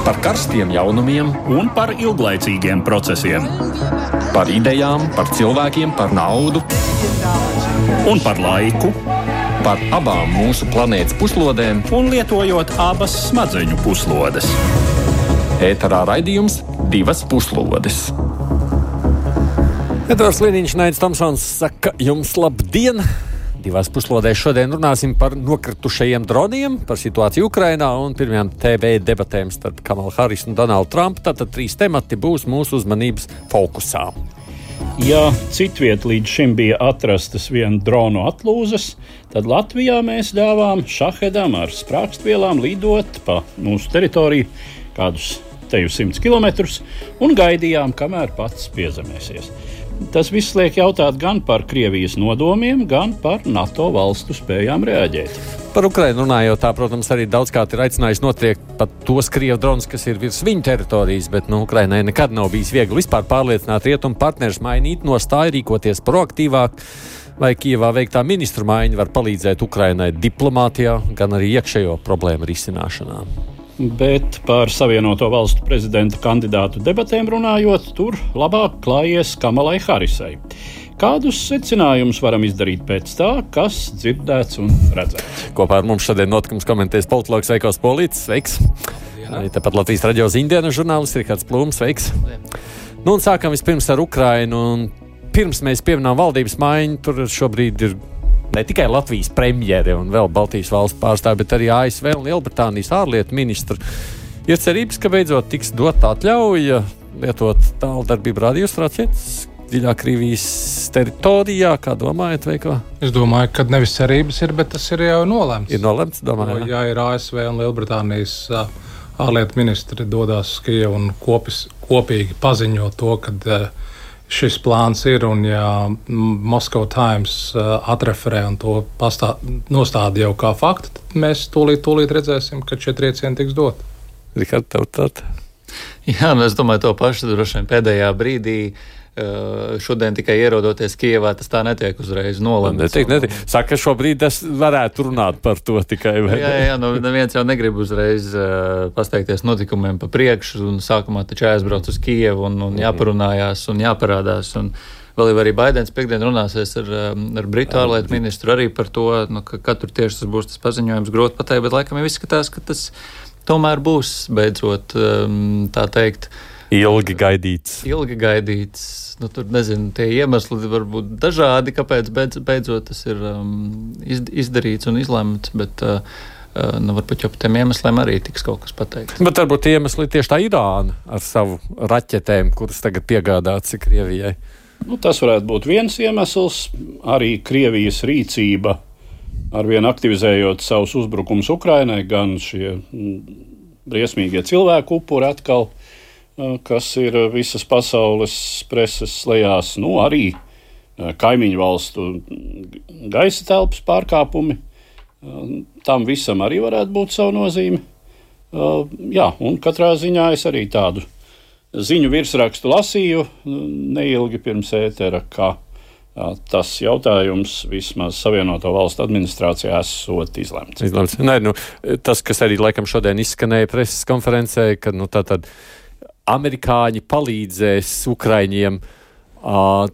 Par karstiem jaunumiem un par ilglaicīgiem procesiem. Par idejām, par cilvēkiem, par naudu Un par laiku. Par abām mūsu planētas puslodēm. Un lietojot abas smadzeņu puslodes. Ēterā raidījums Divas puslodes. Edvards Liniņš, Naids Tomsons saka jums labdien! Divās puslodēs šodien runāsim par nokritušajiem droniem, par situāciju Ukrainā un pirmajām TV debatēm starp Kamalu Harisu un Donaldu Trumpu. Tātad 3 temati būs mūsu uzmanības fokusā. Ja citviet līdz šim bija atrastas vien dronu atlūzas, tad Latvijā mēs ļāvām šahedam ar sprākstvielām lidot pa mūsu teritoriju kādus teju 100 kilometrus un gaidījām, kamēr pats piezemēsies. Tas viss liek jautāt gan par Krievijas nodomiem, gan par NATO valstu spējām reaģēt. Par Ukrainu runājot, tā, protams, arī daudzkārt ir aicinājis notriekt pat tos Krievu dronus, kas ir virs viņu teritorijas, bet Ukrainai nekad nav bijis viegli vispār pārliecināt rietumu partnerus mainīt nostāju, rīkoties proaktīvāk, vai Kijevā veiktā ministru maiņa var palīdzēt Ukrainai diplomātijā, gan arī iekšējo problēmu risināšanā. Bet par Savienoto valstu prezidenta kandidātu debatēm runājot, tur labāk klājies Kamalai Harisai. Kādus secinājumus varam izdarīt pēc tā, kas dzirdēts un redzēts? Kopā ar mums šodien notikums komentēs politologs Veikals Polītis. Sveiks! Arī tāpat Latvijas radio ziņdienas žurnālists Rihards Plūms. Sveiks! Nu un sākam vispirms ar Ukrainu. Un pirms mēs pieminām valdības maiņu, tur šobrīd ir ne tikai Latvijas premjere un vēl Baltijas valstu pārstāvi, bet arī ASV un Lielbritānijas ārlietu ministri. Ir cerības, ka beidzot tiks dot atļauja lietot tāldarbību radiostacijas dziļā Krievijas teritorijā. Kā domājat, Veiko? Es domāju, ka nevis cerības ir, bet tas ir jau nolemts. Ir nolemts, domāju. Ja ir ASV un Lielbritānijas ārlietu ministri dodās uz Kijevu un kopīgi paziņo to, ka šis plāns ir, un ja Moscow Times atreferē un to nostāda jau kā faktu, tad mēs tūlīt redzēsim, ka šie triecieni tiks dot. Rihard, tev tātad? Jā, es domāju to pašu droši vien pēdējā brīdī. Šodien tikai ierodoties Kijevā, tas tā netiek uzreiz nolemts. Netiek. Saka, šobrīd es varētu runāt par to tikai. Jā, neviens jau negrib uzreiz pasteikties notikumiem pa priekšu, un sākumā taču jāizbrauc uz Kijevu un jāparunājās un jāparādās. Un vēl jau arī Baidens piekdien runāsies ar Britu ārlietu ministru arī par to, ka tur tieši tas būs tas paziņojums grūti pateikt, bet laikam jau izskatās, ka tas tomēr būs beidzot, tā teikt, Ilgi gaidīts. Tur nezinu, tie iemesli var būt dažādi, kāpēc beidzot tas ir izdarīts un izlemts, bet varbūt jau par tiem iemesliem arī tiks kaut kas pateikts. Bet varbūt tie iemesli tieši tā Irāna ar savu raķetēm, kuras tagad piegādāts Krievijai. Tas varētu būt viens iemesls, arī Krievijas rīcība arvien aktivizējot savus uzbrukumus Ukrainai, gan šie briesmīgie cilvēku upuri atkal, kas ir visas pasaules preses lejās, arī kaimiņu valstu gaisa telpas pārkāpumi. Tam visam arī varētu būt savu nozīmi. Un katrā ziņā es arī tādu ziņu virsrakstu lasīju neilgi pirms ētera, ka tas jautājums vismaz Savienoto valstu administrācijā esot izlemts. Tas, kas arī laikam šodien izskanēja preses konferencē, ka tātad amerikāņi palīdzēs Ukraiņiem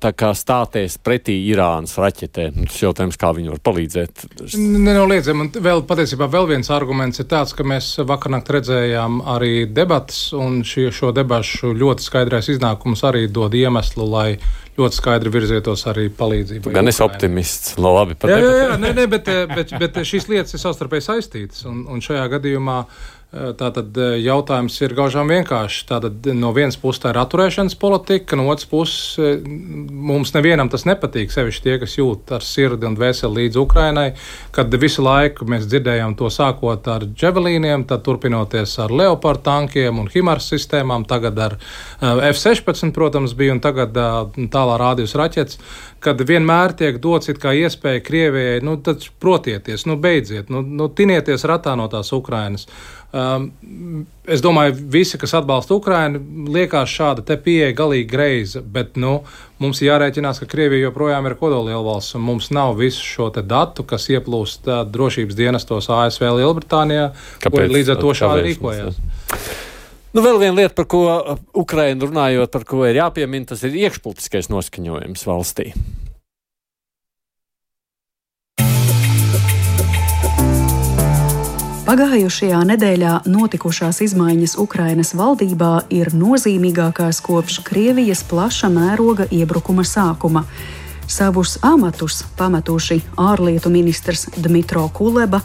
tā kā stāties pretī Irānas raķetēm. Tas jautājums, kā viņi var palīdzēt. Nenoliedzami. Un patiesībā vēl viens arguments ir tāds, ka mēs vakarnakt redzējām arī debatas, un šo debašu ļoti skaidrais iznākums arī dod iemeslu, lai ļoti skaidri virzietos arī palīdzību. Gan es optimists. Labi, bet šīs lietas ir savstarpēji saistītas, un šajā gadījumā tātad jautājums ir gaužām vienkārši. Tātad no vienas puses tā ir atturēšanas politika, no otras puses mums nevienam tas nepatīk, sevišķi tie, kas jūt ar sirdi un dvēseli līdz Ukrainai, kad visu laiku mēs dzirdējām to sākot ar dževelīniem, tad turpinoties ar Leopard tankiem un HIMARS sistēmām, tagad ar F-16, protams, bija, un tagad tālā rādījus raķetes, kad vienmēr tiek dots it kā iespēja Krievijai, tad protieties, beidziet, tinieties ratā no tās Ukrainas. Es domāju, visi, kas atbalsta Ukrainu, liekas šāda te pieeja galīgi greiza, bet mums jārēķinās, ka Krievija joprojām ir kodolielvalsts, un mums nav visu šo te datu, kas ieplūst drošības dienestos ASV Lielbritānijā, kur līdz ar to šādi rīkojās. Vēl viena lieta, par ko Ukraina runājot, par ko ir jāpiemina, tas ir iekšpolitiskais noskaņojums valstī. Pagājušajā nedēļā notikušās izmaiņas Ukrainas valdībā ir nozīmīgākās kopš Krievijas plaša mēroga iebrukuma sākuma. Savus amatus pametuši ārlietu ministrs Dmitro Kuleba,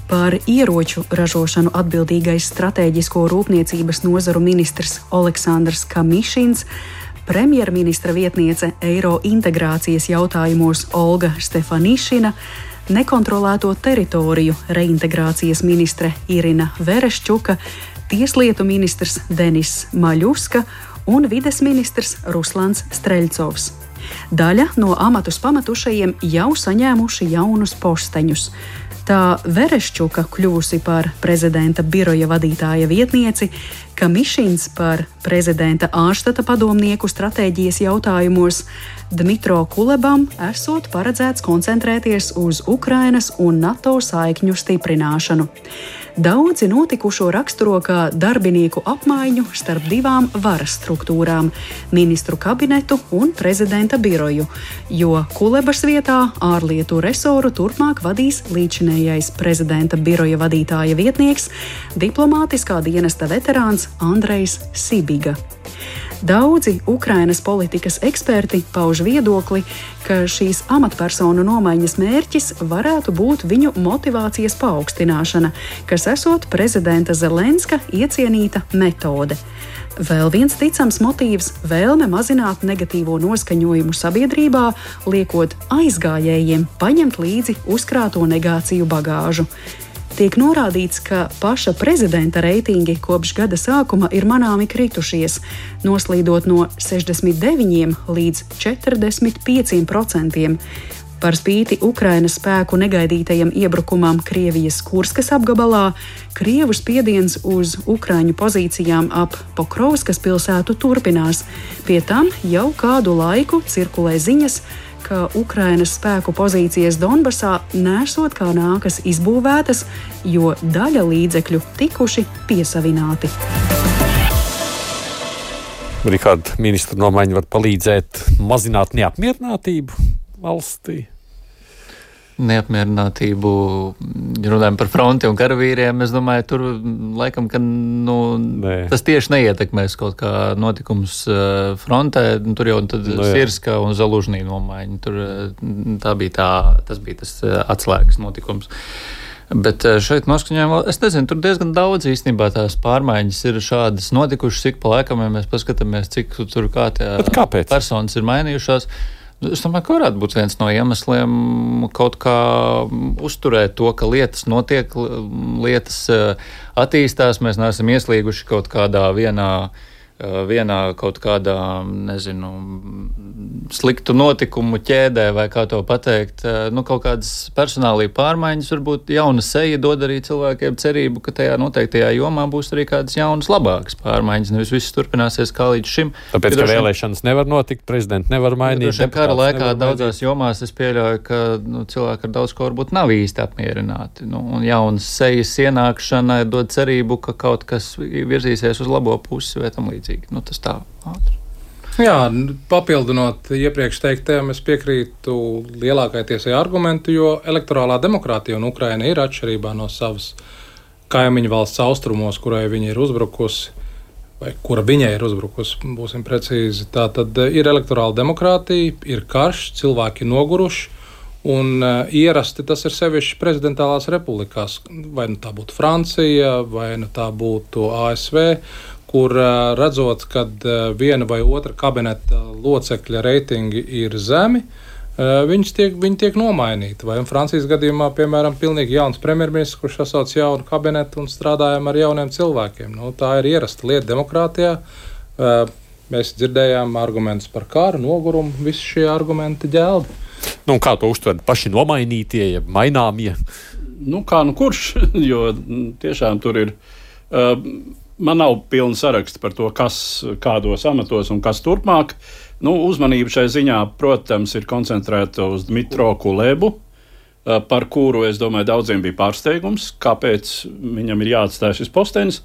par ieroču ražošanu atbildīgais stratēģisko rūpniecības nozaru ministrs Oleksandrs Kamišins, premjerministra vietniece eiro integrācijas jautājumos Olga Stefanišina, nekontrolēto teritoriju reintegrācijas ministre Irina Vereščuka, tieslietu ministrs Denis Maļuska un vides ministrs Ruslans Streļcovs. Daļa no amatus pametušajiem jau saņēmuši jaunus posteņus. Tā Vereščuka kļuvusi par prezidenta biroja vadītāja vietnieci, Kamišins par prezidenta ārštata padomnieku stratēģijas jautājumos, Dmitro Kulebam esot paredzēts koncentrēties uz Ukrainas un NATO saikņu stiprināšanu. Daudzi notikušo raksturo kā darbinieku apmaiņu starp divām varas struktūrām – ministru kabinetu un prezidenta biroju, jo Kulebas vietā ārlietu resoru turpmāk vadīs līdzinējais prezidenta biroja vadītāja vietnieks, diplomātiskā dienesta veterāns Andrejs Sibiga. Daudzi Ukrainas politikas eksperti pauž viedokli, ka šīs amatpersonu nomaiņas mērķis varētu būt viņu motivācijas paaugstināšana, kas esot prezidenta Zelenska iecienīta metode. Vēl viens ticams motīvs – vēlme mazināt negatīvo noskaņojumu sabiedrībā, liekot aizgājējiem paņemt līdzi uzkrāto negāciju bagāžu. Tiek norādīts, ka paša prezidenta reitingi kopš gada sākuma ir manāmi kritušies, noslīdot no 69 līdz 45%. Par spīti Ukrainas spēku negaidītajam iebrukumam Krievijas Kurskas apgabalā, Krievu spiediens uz Ukraiņu pozīcijām ap Pokrovskas pilsētu turpinās. Pie tam jau kādu laiku cirkulē ziņas, ka Ukrainas spēku pozīcijas Donbasā nesot kā nākas izbūvētas, jo daļa līdzekļu tikuši piesavināti. Rikārd, ministru nomaiņa var palīdzēt mazināt neapmierinātību valstī? Neapmierinātību, runājam par fronti un karavīriem, es domāju, tur laikam, ka tas tieši neietekmēs kaut kā notikums frontē, tur jau tad Sirska un Zalužnī nomaiņa, tas bija tas atslēgas notikums. Bet šeit noskaņojumā, es nezinu, tur diezgan daudz īstenībā tās pārmaiņas ir šādas notikušas, cik pa laikam, ja mēs paskatāmies, cik tur kā tie personas ir mainījušās. Es domāju, ka varētu būt viens no iemesliem kaut kā uzturēt to, ka lietas notiek, lietas attīstās, mēs neesam ieslīguši kaut kādā vienā kaut kādā, nezinu, sliktu notikumu ķēdē, vai kā to pateikt, kaut kādas personālī pārmaiņas, varbūt jauna seja dod arī cilvēkiem cerību, ka tajā noteiktajā jomā būs arī kādas jaunas, labākas pārmaiņas, nevis viss turpināsies kā līdz šim. Tāpēc, ka vēlēšanas nevar notikt, prezidenti nevar mainīt. Kara laikā daudzās jomās es pieļauju, ka cilvēki ar daudz ko varbūt nav īsti apmierināti. Un jaunas sejas ienākšana dod cerību, ka kaut kas virzīsies uz labo pusi vai tam līdzīgi. Tas tā ātri. Jā, papildinot iepriekš teiktajam, es piekrītu lielākai tiesai argumentu, jo elektorālā demokrātija un Ukraina ir atšķirībā no savas kaimiņu valsts austrumos, kurai viņa ir uzbrukusi, vai kura viņai ir uzbrukusi, būsim precīzi. Tā tad ir elektorāla demokrātija, ir karš, cilvēki noguruši, un ierasti tas ir sevišķi prezidentālās republikās, vai nu tā būtu Francija, vai nu tā būtu ASV, kur redzot, kad viena vai otra kabineta locekļa reitingi ir zemi, viņi tiek nomainīti. Vai Francijas gadījumā, piemēram, pilnīgi jauns premjerministrs, kurš sasauc jaunu kabinetu un strādājam ar jauniem cilvēkiem. Tā ir ierasta lieta demokrātijā. Mēs dzirdējām argumentus par karu, nogurumu, visi šie argumenti ģelbi. Kā to uztver paši nomainītie, maināmie? Kurš? Jo tiešām tur ir... Man nav pilna saraksta par to, kas kādos amatos un kas turpmāk. Uzmanība šai ziņā, protams, ir koncentrēta uz Dmitro Kulebu, par kuru, es domāju, daudziem bija pārsteigums, kāpēc viņam ir jāatstāj šis postenis.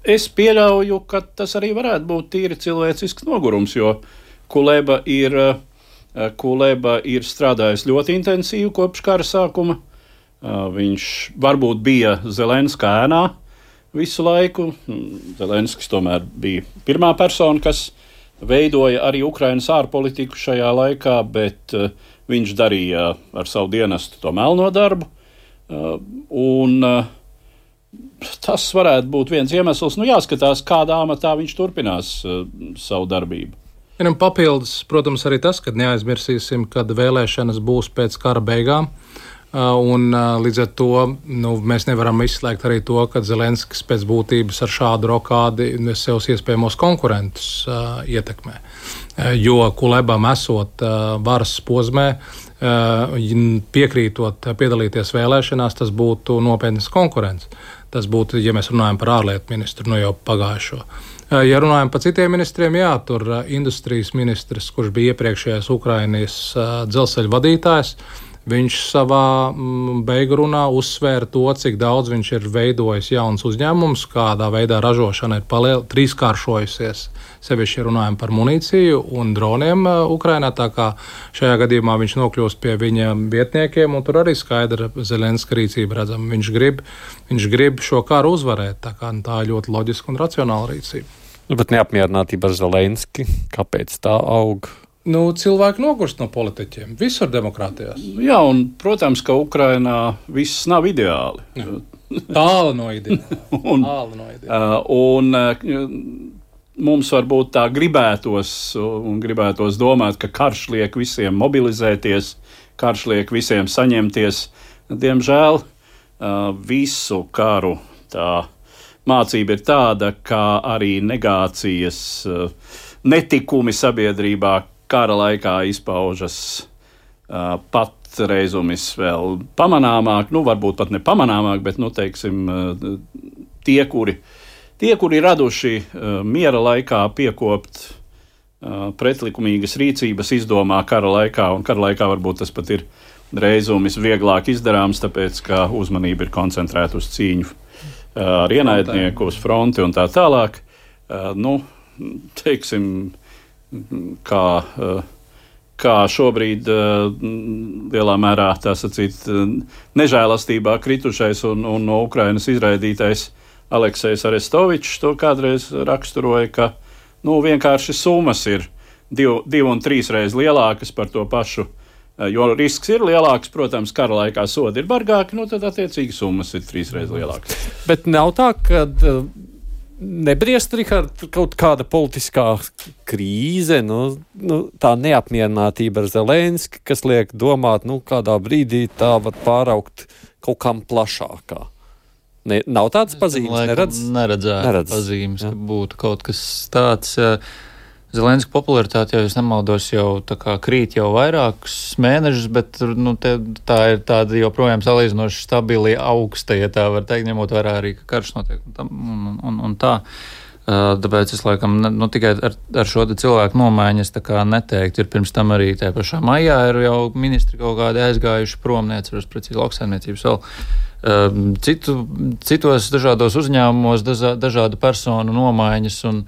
Es pieļauju, ka tas arī varētu būt tīri cilvēcisks nogurums, jo Kuleba ir strādājis ļoti intensīvi kopš kara sākuma. Viņš varbūt bija Zelenska ēnā visu laiku. Zelenskis tomēr bija pirmā persona, kas veidoja arī Ukrainas ārpolitiku šajā laikā, bet viņš darīja ar savu dienestu to melno darbu. Tas varētu būt viens iemesls. Jāskatās, kādā amatā viņš turpinās savu darbību. Papildus, protams, arī tas, ka neaizmirsīsim, kad vēlēšanas būs pēc kara beigām. Un līdz ar to mēs nevaram izslēgt arī to, ka Zelenskis pēc būtības ar šādu rokādi sev iespējamos konkurentus ietekmē. Jo Kulebam esot varas posmē, piekrītot piedalīties vēlēšanās, tas būtu nopietnas konkurence. Tas būtu, ja mēs runājam par ārlietu ministru, jau pagājušo. Ja runājam par citiem ministriem, tur industrijas ministrs, kurš bija iepriekšējais Ukrainas dzelzceļa vadītājs, viņš savā beigu runā uzsvēra to, cik daudz viņš ir veidojis jauns uzņēmums, kādā veidā ražošana ir trīskāršojusies. Sevišķi runājam par munīciju un droniem Ukrainā, tā kā šajā gadījumā viņš nokļūst pie viņa vietniekiem, un tur arī skaidra Zelenska rīcība redzama. Viņš grib šo karu uzvarēt, tā ir ļoti loģiska un racionāla rīcība. Bet neapmierinātība ar Zelenski, kāpēc tā aug? Cilvēki nogurst no politiķiem, visur demokrātijās. Jā, un, protams, ka Ukrainā viss nav ideāli. Tālu no ideāla. Mums varbūt tā gribētos domāt, ka karš liek visiem mobilizēties, karš liek visiem saņemties. Diemžēl visu karu tā mācība ir tāda, ka arī negācijas, netikumi sabiedrībā kara laikā izpaužas patreizumis vēl pamanāmāk, varbūt pat nepamanāmāk, bet, teiksim, tie, kuri raduši miera laikā piekopt pretlikumīgas rīcības, izdomā kara laikā, un kara laikā varbūt tas pat ir reizumis vieglāk izdarāms, tāpēc, ka uzmanība ir koncentrēta uz cīņu ar ienaidnieku, uz fronti un tā tālāk. Teiksim, kā šobrīd lielā mērā, tā sacīt, nežēlastībā kritušais un no Ukrainas izraidītais Aleksejs Arestovičs to kādreiz raksturoja, ka vienkārši summas ir 2 un 3 reizes lielākas par to pašu, jo risks ir lielāks, protams, kara laikā sodi ir bargāki, tad attiecīgi summas ir 3 reizes lielākas. Bet nav tā, ka nebriest, Rihard, kaut kāda politiskā krīze, tā neapmierinātība ar Zelenski, kas liek domāt, kādā brīdī tā var pāraukt kaut kam plašākā. Nav tādas pazīmes? Neredzētu pazīmes, ka būtu kaut kas tāds. Zelenska popularitāte, ja es nemaldos, jau tā kā krīt jau vairākus mēnešus, bet tā ir tāda joprojām salīdzinoši stabili augsta, ja tā var teikt, ņemot vērā arī, ka karš notiek un tā. Tāpēc es laikam tikai ar šo cilvēku nomaiņu es tā kā neteiktu. Ir pirms tam arī tajā pašā maijā ir jau ministri kaut kādi aizgājuši prom, neatceros precīzi lauksaimniecības vēl. Citos dažādos uzņēmumos, dažādu personu nomaiņas un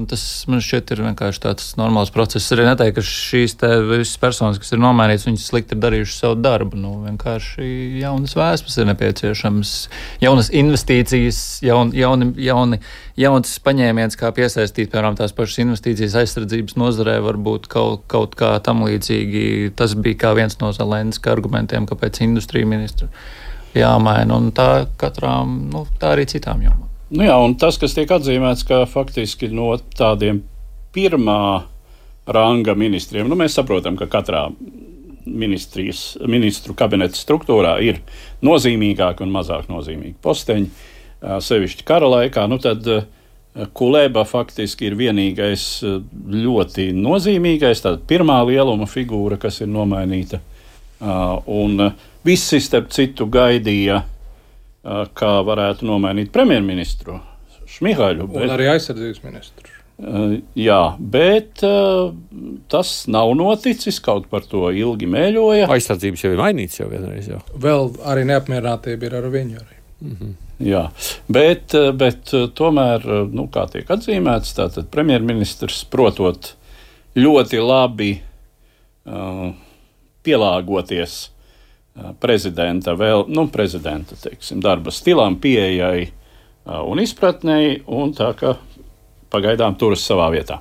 tas man šķiet ir vienkārši tāds normāls process. Arī neteiktu, ka šīs visas personas, kas ir nomainītas, viņas slikti ir darījušas savu darbu. Vienkārši jaunas vēsmas ir nepieciešams, jaunas investīcijas, jauns paņēmiens, kā piesaistīt, piemēram, tās pašas investīcijas aizsardzības nozarē, varbūt kaut kā tam līdzīgi. Tas bija kā viens no Zelenska argumentiem, kāpēc industrija ministra jāmaina, un tā katrām, tā arī citām jomām. Un tas, kas tiek atzīmēts, ka faktiski no tādiem pirmā ranga ministriem, mēs saprotam, ka katrā ministru kabineta struktūrā ir nozīmīgāki un mazāk nozīmīgi posteņi, sevišķi kara laikā, tad Kuleba faktiski ir vienīgais ļoti nozīmīgais, tāda pirmā lieluma figūra, kas ir nomainīta, un visi, starp citu, gaidīja, kā varētu nomainīt premjerministru Šmihaļu. Un arī aizsardzības ministru. Jā, bet tas nav noticis, kaut par to ilgi mēļoja. Aizsardzības jau ir mainīts jau vienreiz. Jau. Vēl arī neapmierinātība ir ar viņu arī. Jā, bet tomēr, kā tiek atzīmēts, tātad premjerministrs protot ļoti labi pielāgoties prezidenta darba stilam, pieejai un izpratnei, un tā kā pagaidām turas savā vietā.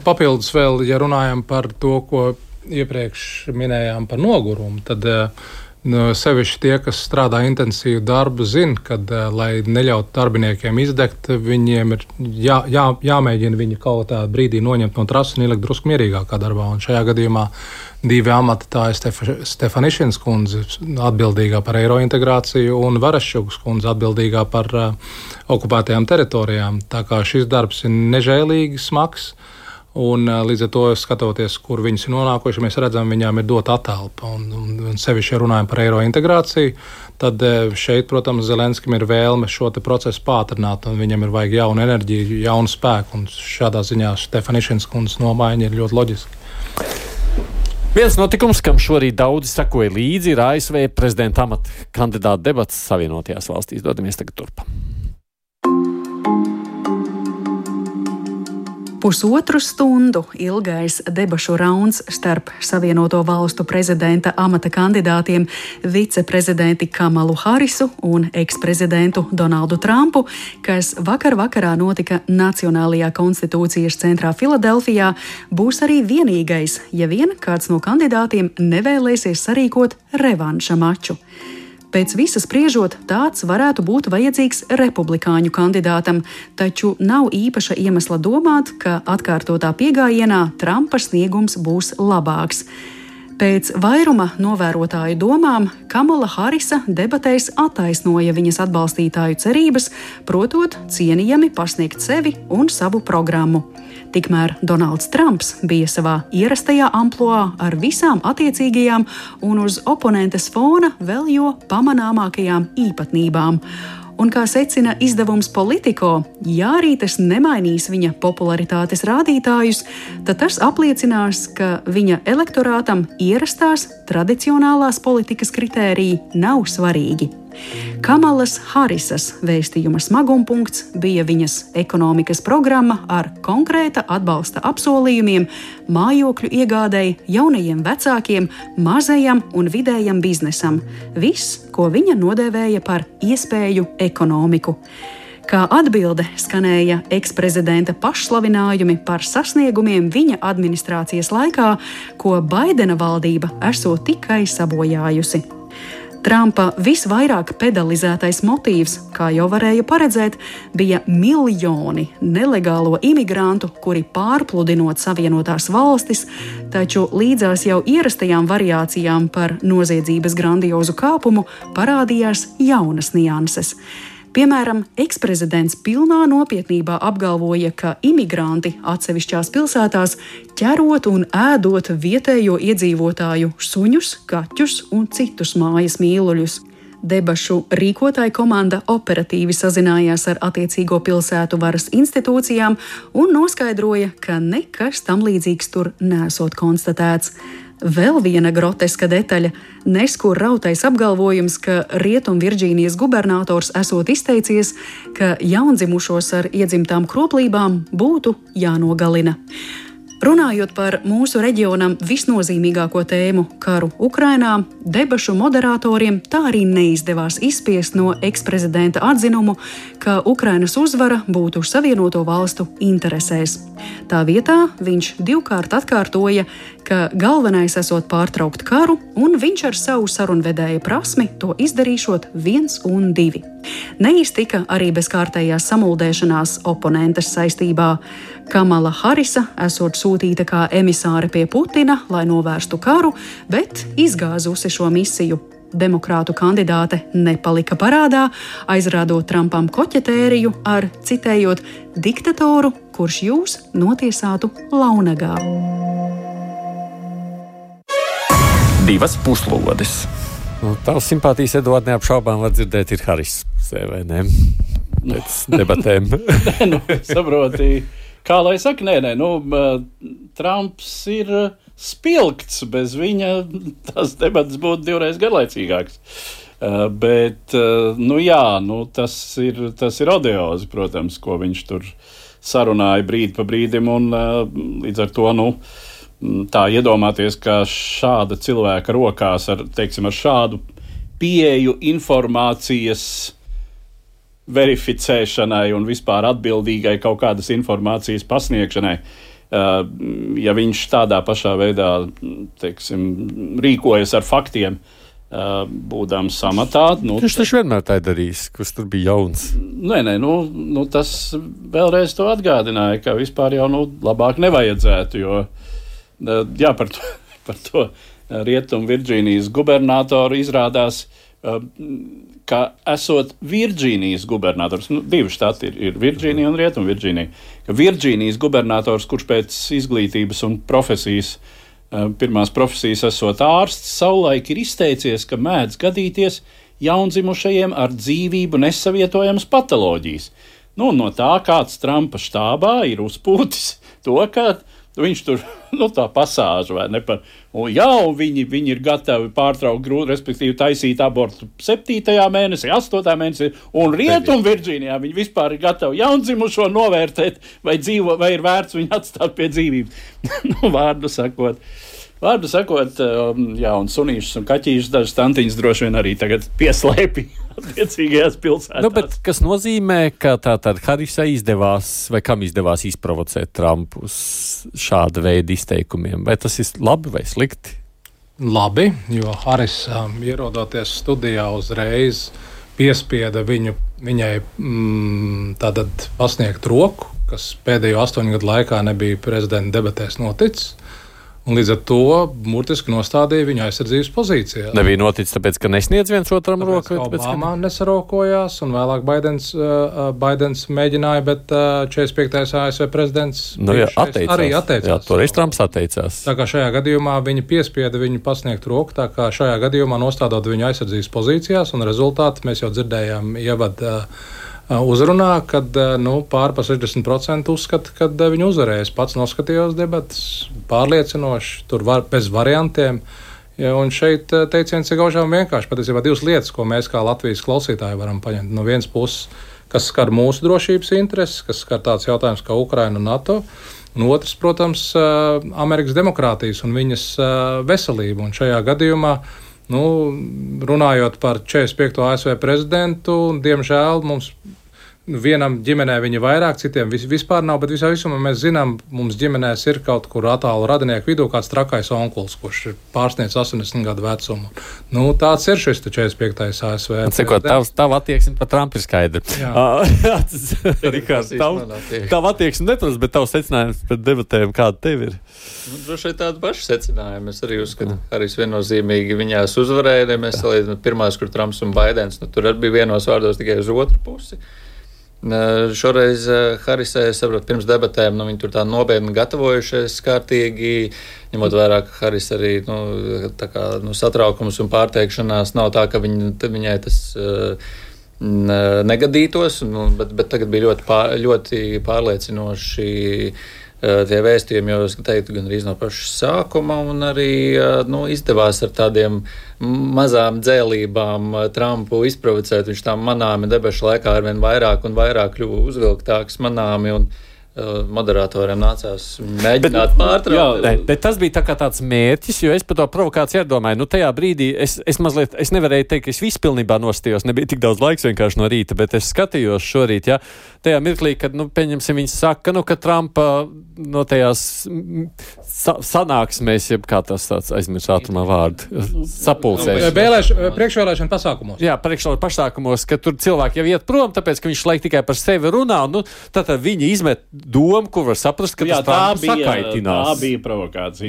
Papildus vēl, ja runājam par to, ko iepriekš minējām par nogurumu, tad sevišķi tie, kas strādā intensīvu darbu, zina, ka, lai neļautu darbiniekiem izdegt, viņiem ir jāmēģina viņu kaut kādā brīdī noņemt no trases un ielikt drusku mierīgākā darbā. Un šajā gadījumā divi amati, tā ir Stefanišins kundze, atbildīgā par eirointegrāciju, un Varaščukas kundze, atbildīgā par okupētajām teritorijām. Tā kā šis darbs ir nežēlīgi smags, un līdz ar to skatoties, kur viņas ir nonākuši, mēs redzam, viņām ir dota atelpa. Un sevišķi, ja runājam par eirointegrāciju, tad šeit, protams, Zelenskim ir vēlme šo te procesu pātrināt, un viņam ir vajag jaunu enerģiju, jaunu spēku, un šādā ziņā Stefanišins kundzes nomaiņa ir ļoti loģiski. Viens notikums, kam šorīt daudzi sekoja līdzi, ir ASV prezidenta amata kandidāta debats Savienotajās valstīs. Dodamies tagad turp. Pusotru stundu ilgais debašu rauns starp Savienoto valstu prezidenta amata kandidātiem viceprezidenti Kamalu Harisu un eksprezidentu Donaldu Trumpu, kas vakarā notika Nacionālajā konstitūcijas centrā Filadelfijā, būs arī vienīgais, ja vien kāds no kandidātiem nevēlēsies sarīkot revanša maču. Pēc visa spriežot, tāds varētu būt vajadzīgs republikāņu kandidātam, taču nav īpaša iemesla domāt, ka atkārtotā piegājienā Trumpa sniegums būs labāks. Pēc vairuma novērotāju domām Kamala Harisa debatēs attaisnoja viņas atbalstītāju cerības, protot cienījami pasniegt sevi un savu programmu. Tikmēr Donalds Trumps bija savā ierastajā amploā ar visām attiecīgajām un uz oponentes fona vēl jo pamanāmākajām īpatnībām. Un, kā secina izdevums Politico, ja arī tas nemainīs viņa popularitātes rādītājus, tad tas apliecinās, ka viņa elektorātam ierastās tradicionālās politikas kritēriji nav svarīgi. Kamalas Harisas vēstījuma smagumpunkts bija viņas ekonomikas programma ar konkrēta atbalsta apsolījumiem mājokļu iegādēji, jaunajiem vecākiem, mazajam un vidējam biznesam. Viss, ko viņa nodēvēja par iespēju ekonomiku. Kā atbilde skanēja eksprezidenta pašslavinājumi par sasniegumiem viņa administrācijas laikā, ko Baidena valdība esot tikai sabojājusi. Trumpa visvairāk pedalizētais motīvs, kā jau varēja paredzēt, bija miljoni nelegālo imigrantu, kuri pārpludinot Savienotās valstis, taču līdzās jau ierastajām variācijām par noziedzības grandiozu kāpumu parādījās jaunas nianses. Piemēram, eksprezidents pilnā nopietnībā apgalvoja, ka imigranti atsevišķās pilsētās ķerot un ēdot vietējo iedzīvotāju suņus, kaķus un citus mājas mīluļus. Debašu rīkotāja komanda operatīvi sazinājās ar attiecīgo pilsētu varas institūcijām un noskaidroja, ka nekas tam līdzīgs tur nesot konstatēts. Vēl viena groteska detaļa – neskur rautais apgalvojums, ka Rietumvirģīnijas gubernators esot izteicies, ka jaundzimušos ar iedzimtām kroplībām būtu jānogalina. Runājot par mūsu reģionam visnozīmīgāko tēmu karu Ukrainā, debašu moderatoriem tā arī neizdevās izspiest no eksprezidenta atzinumu, ka Ukrainas uzvara būtu Savienoto valstu interesēs. Tā vietā viņš divkārt atkārtoja, ka galvenais esot pārtraukt karu, un viņš ar savu sarunvedēja prasmi to izdarīšot 1 un 2. Neiztika arī bez kārtējās samuldēšanās oponentes saistībā. Kamala Harisa esot sūtīta kā emisāre pie Putina, lai novērstu karu, bet izgāzusi šo misiju. Demokrātu kandidāte nepalika parādā, aizrādot Trumpam koķetēriju ar, citējot, diktatoru, kurš jūs notiesātu launagā. 2 puslodes. Tavs simpātijas, Eduard, neapšaubām var dzirdēt, ir Haris, vai ne? Pēc debatēm. Saproti, kā lai saka, Trumps ir spilgts, bez viņa tās debatas būtu 2 reiz garlaicīgāks. Bet, tas ir odiozi, protams, ko viņš tur sarunāja brīdi pa brīdim, un līdz ar to, tā iedomāties, ka šāda cilvēka rokās ar šādu pieeju informācijas verificēšanai un vispār atbildīgai kaut kādas informācijas pasniegšanai, ja viņš tādā pašā veidā, rīkojas ar faktiem, būdams amatā. Viņš taču vienmēr tā darījis, kurš tur bija jauns. Nē, tas vēlreiz to atgādināja, ka vispār jau labāk nevajadzētu, jo par to Rietumu Virģīnijas gubernatoru izrādās, ka esot Virģīnijas gubernators, divi štati ir Virģīnija un Rietumu Virģīnija, ka Virģīnijas gubernators, kurš pēc izglītības un profesijas, pirmās profesijas esot ārsts, savulaik ir izteicies, ka mēdz gadīties jaundzimušajiem ar dzīvību nesavietojamas patoloģijas. No tā kāds Trumpa štābā ir uzpūtis to, ka viņš tur, tā pasāža, vai ne, un viņi ir gatavi pārtraukt grūti, respektīvi taisīt abortu 7. mēnesī, 8. mēnesī, un Rietumu Virģīnijā viņi vispār ir gatavi jaundzimušo novērtēt, vai ir vērts viņu atstāt pie dzīvības. Vārdu sakot, un sunīšus un kaķīšus dažas tantiņas droši vien arī tagad pieslēpi attiecīgajās pilsētās. Bet kas nozīmē, ka tātad Harisai izdevās, vai kam izdevās izprovocēt Trumpu uz šāda veida izteikumiem? Vai tas ir labi vai slikti? Labi, jo Haris ierodoties studijā uzreiz piespieda viņai tātad pasniegt roku, kas pēdējo 8 gadu laikā nebija prezidenta debatēs noticis. Un līdz ar to burtiski nostādīja viņu aizsardzības pozīcijā. Nebija noticis tāpēc, ka nesniedz viens otram roku? Obama nesarokojās, un vēlāk Baidens mēģināja, bet 45. ASV prezidents arī atteicās. Jā, toreiz Trumps atteicās. Tā kā šajā gadījumā viņa piespieda viņu pasniegt roku, tā kā šajā gadījumā nostādot viņu aizsardzības pozīcijās, un rezultāti mēs jau dzirdējām uzrunā, kad pār pa 60% uzskata, ka viņi uzvarēs. Pats noskatījos debatas pārliecinoši, tur bez variantiem. Ja, un šeit teiciens ir gaužām vienkārši. Patiesībā divas lietas, ko mēs kā Latvijas klausītāji varam paņemt. No vienas puses, kas skar mūsu drošības intereses, kas skar tāds jautājums kā Ukraina un NATO. Un otrs, protams, Amerikas demokrātijas un viņas veselību. Un šajā gadījumā runājot par 45. ASV prezidentu, diemžēl mums vienam ģimenē viņa vairāk, citiem vispār nav, bet visā visumā mēs zinām, mums ģimenēs ir kaut kur attālu radinieku vidū kāds trakais onkulis, kurš ir pārsniedz 80 gadu vecumu. Tāds ir šis 45. ASV. Tava attieksme par Trumpu ir skaidra. Rikārds, tava attieksme neprasa, bet tavs secinājums par debatēm kāda tev ir? Droši vien tāda paša secinājuma. Es arī uzskatu, ka arī viennozīmīgi viņās uzvarēja. Mēs salīdzinām pirmās, kur Trumps un Baidens, tur arī bija vienos vārdos tikai uz otru pusi. Šoreiz Harisai, es saprotu, pirms debatēm, viņi tur tā nopietni gatavojušies kārtīgi, ņemot vērā, ka Haris arī, satraukums un pārteikšanās nav tā, ka viņai tas negadītos, bet tagad bija ļoti pārliecinoši tie vēstījumi, jo es teiktu, gan arī no paša sākuma, un arī izdevās ar tādiem mazām dzēlībām Trumpu izprovocēt. Viņš tā manāmi debašu laikā arvien vairāk un vairāk kļuva uzvilktāks manāmi, un moderatoriem nācās mēģināt pārtraukt. Bet tas bija tāds mērķis, jo es par to provokāciju iedomāju. Tajā brīdī es nevarēju teikt, ka es visu pilnībā nostījos, nebija tik daudz laiks vienkārši no rīta, bet es skatījos šorīt, tajā mirklī, kad, pieņemsim, viņi saka, ka Trumpa no tajās sanāksmēs, jeb kā tas tāds aizmirst ātrumā vārdu, sapulcēs. Priekšvēlēšana pasākumos. Jā, priekšvēlēšana pasākumos, ka tur cilvēki jau iet prom, tāpēc, ka viņš laik tikai par sevi runā, un tātad viņi izmet domu, kur var saprast, ka tas Trumpu sakaitinās. Tā bija provokācija.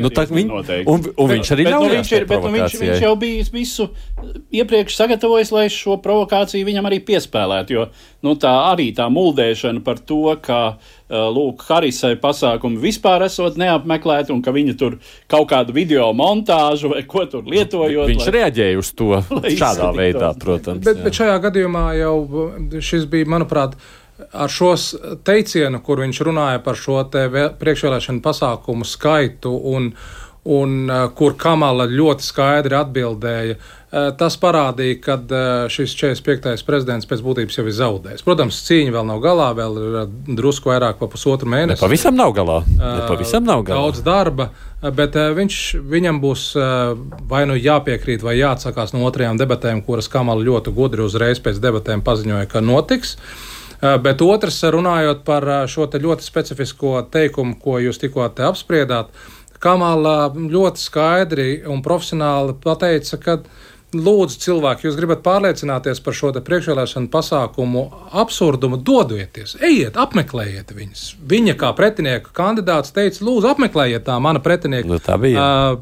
Un viņš arī ļaujās tai provokācijai. Viņš jau bija visu iepriekš sagatavojis, lai šo provokāciju viņam arī piespēlētu, jo tā muldēšana par to, ka Harisai pasākumi vispār esot neapmeklēti un ka viņa tur kaut kādu video montāžu vai ko tur lietojot. Viņš reaģēja uz to šādā veidā, protams. Bet šajā gadījumā jau šis bija, manuprāt, ar šos teicienu, kur viņš runāja par šo te priekšvēlēšanu pasākumu skaitu un un kur Kamala ļoti skaidri atbildēja. Tas parādīja, ka šis 45. prezidents pēc būtības jau ir zaudējis. Protams, cīņa vēl nav galā, vēl ir drusku vairāk pa pusotru mēnesi. Pavisam nav galā. Daudz darba, bet viņam būs vai nu jāpiekrīt, vai jāatsakās no otrajām debatēm, kuras Kamala ļoti gudri uzreiz pēc debatēm paziņoja, ka notiks. Bet otrs, runājot par šo te ļoti specifisko teikumu, ko jūs tikko te apspriedāt, Kamala ļoti skaidri un profesionāli pateica, ka lūdzu cilvēki, jūs gribat pārliecināties par šo te priekšvēlēšanu pasākumu absurdumu, dodieties, ejiet, apmeklējiet viņus. Viņa kā pretinieka kandidāts teica, lūdzu, apmeklējiet tā mana pretinieka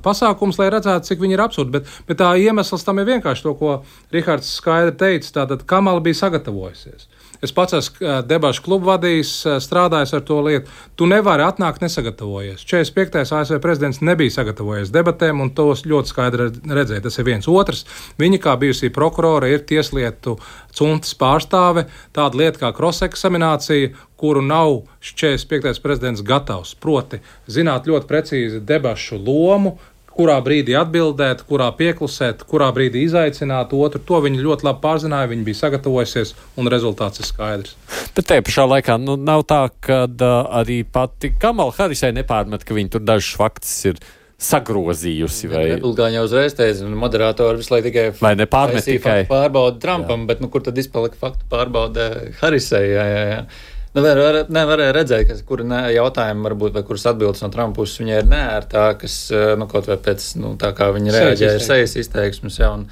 pasākums, lai redzētu, cik viņi ir absurdi. Bet tā iemesls tam ir vienkārši to, ko Rihards skaidri teica, tātad Kamala bija sagatavojusies. Es pats esmu debašu klubu vadījis, strādājis ar to lietu. Tu nevari atnākt nesagatavojies. 45. ASV prezidents nebija sagatavojies debatēm, un tos ļoti skaidri redzēja. Tas ir viens. Otrs, viņa kā bijusī prokurora ir tieslietu cuntas pārstāve, tāda lieta kā cross-eksaminācija, kuru nav 45. prezidents gatavs. Proti, zināt ļoti precīzi debašu lomu, kurā brīdī atbildēt, kurā pieklusēt, kurā brīdī izaicināt otru. To viņi ļoti labi pārzināja, viņi bija sagatavojusies, un rezultāts ir skaidrs. Bet te pašā laikā nav tā, ka arī pati Kamala Harrisai nepārmet, ka viņi tur dažus faktus ir sagrozījusi. Republikāņi jau uzreiz teica, un moderatori visu laiku tikai pārbauda Trumpam, bet kur tad izpalika faktu pārbauda Harrisai? Jā. Nevarēja redzēt, kura jautājuma varbūt, vai kuras atbildes no Trumpa puses viņai ir neērtākas, kaut vai pēc, tā kā viņi reaģēja sejas izteiksmes, un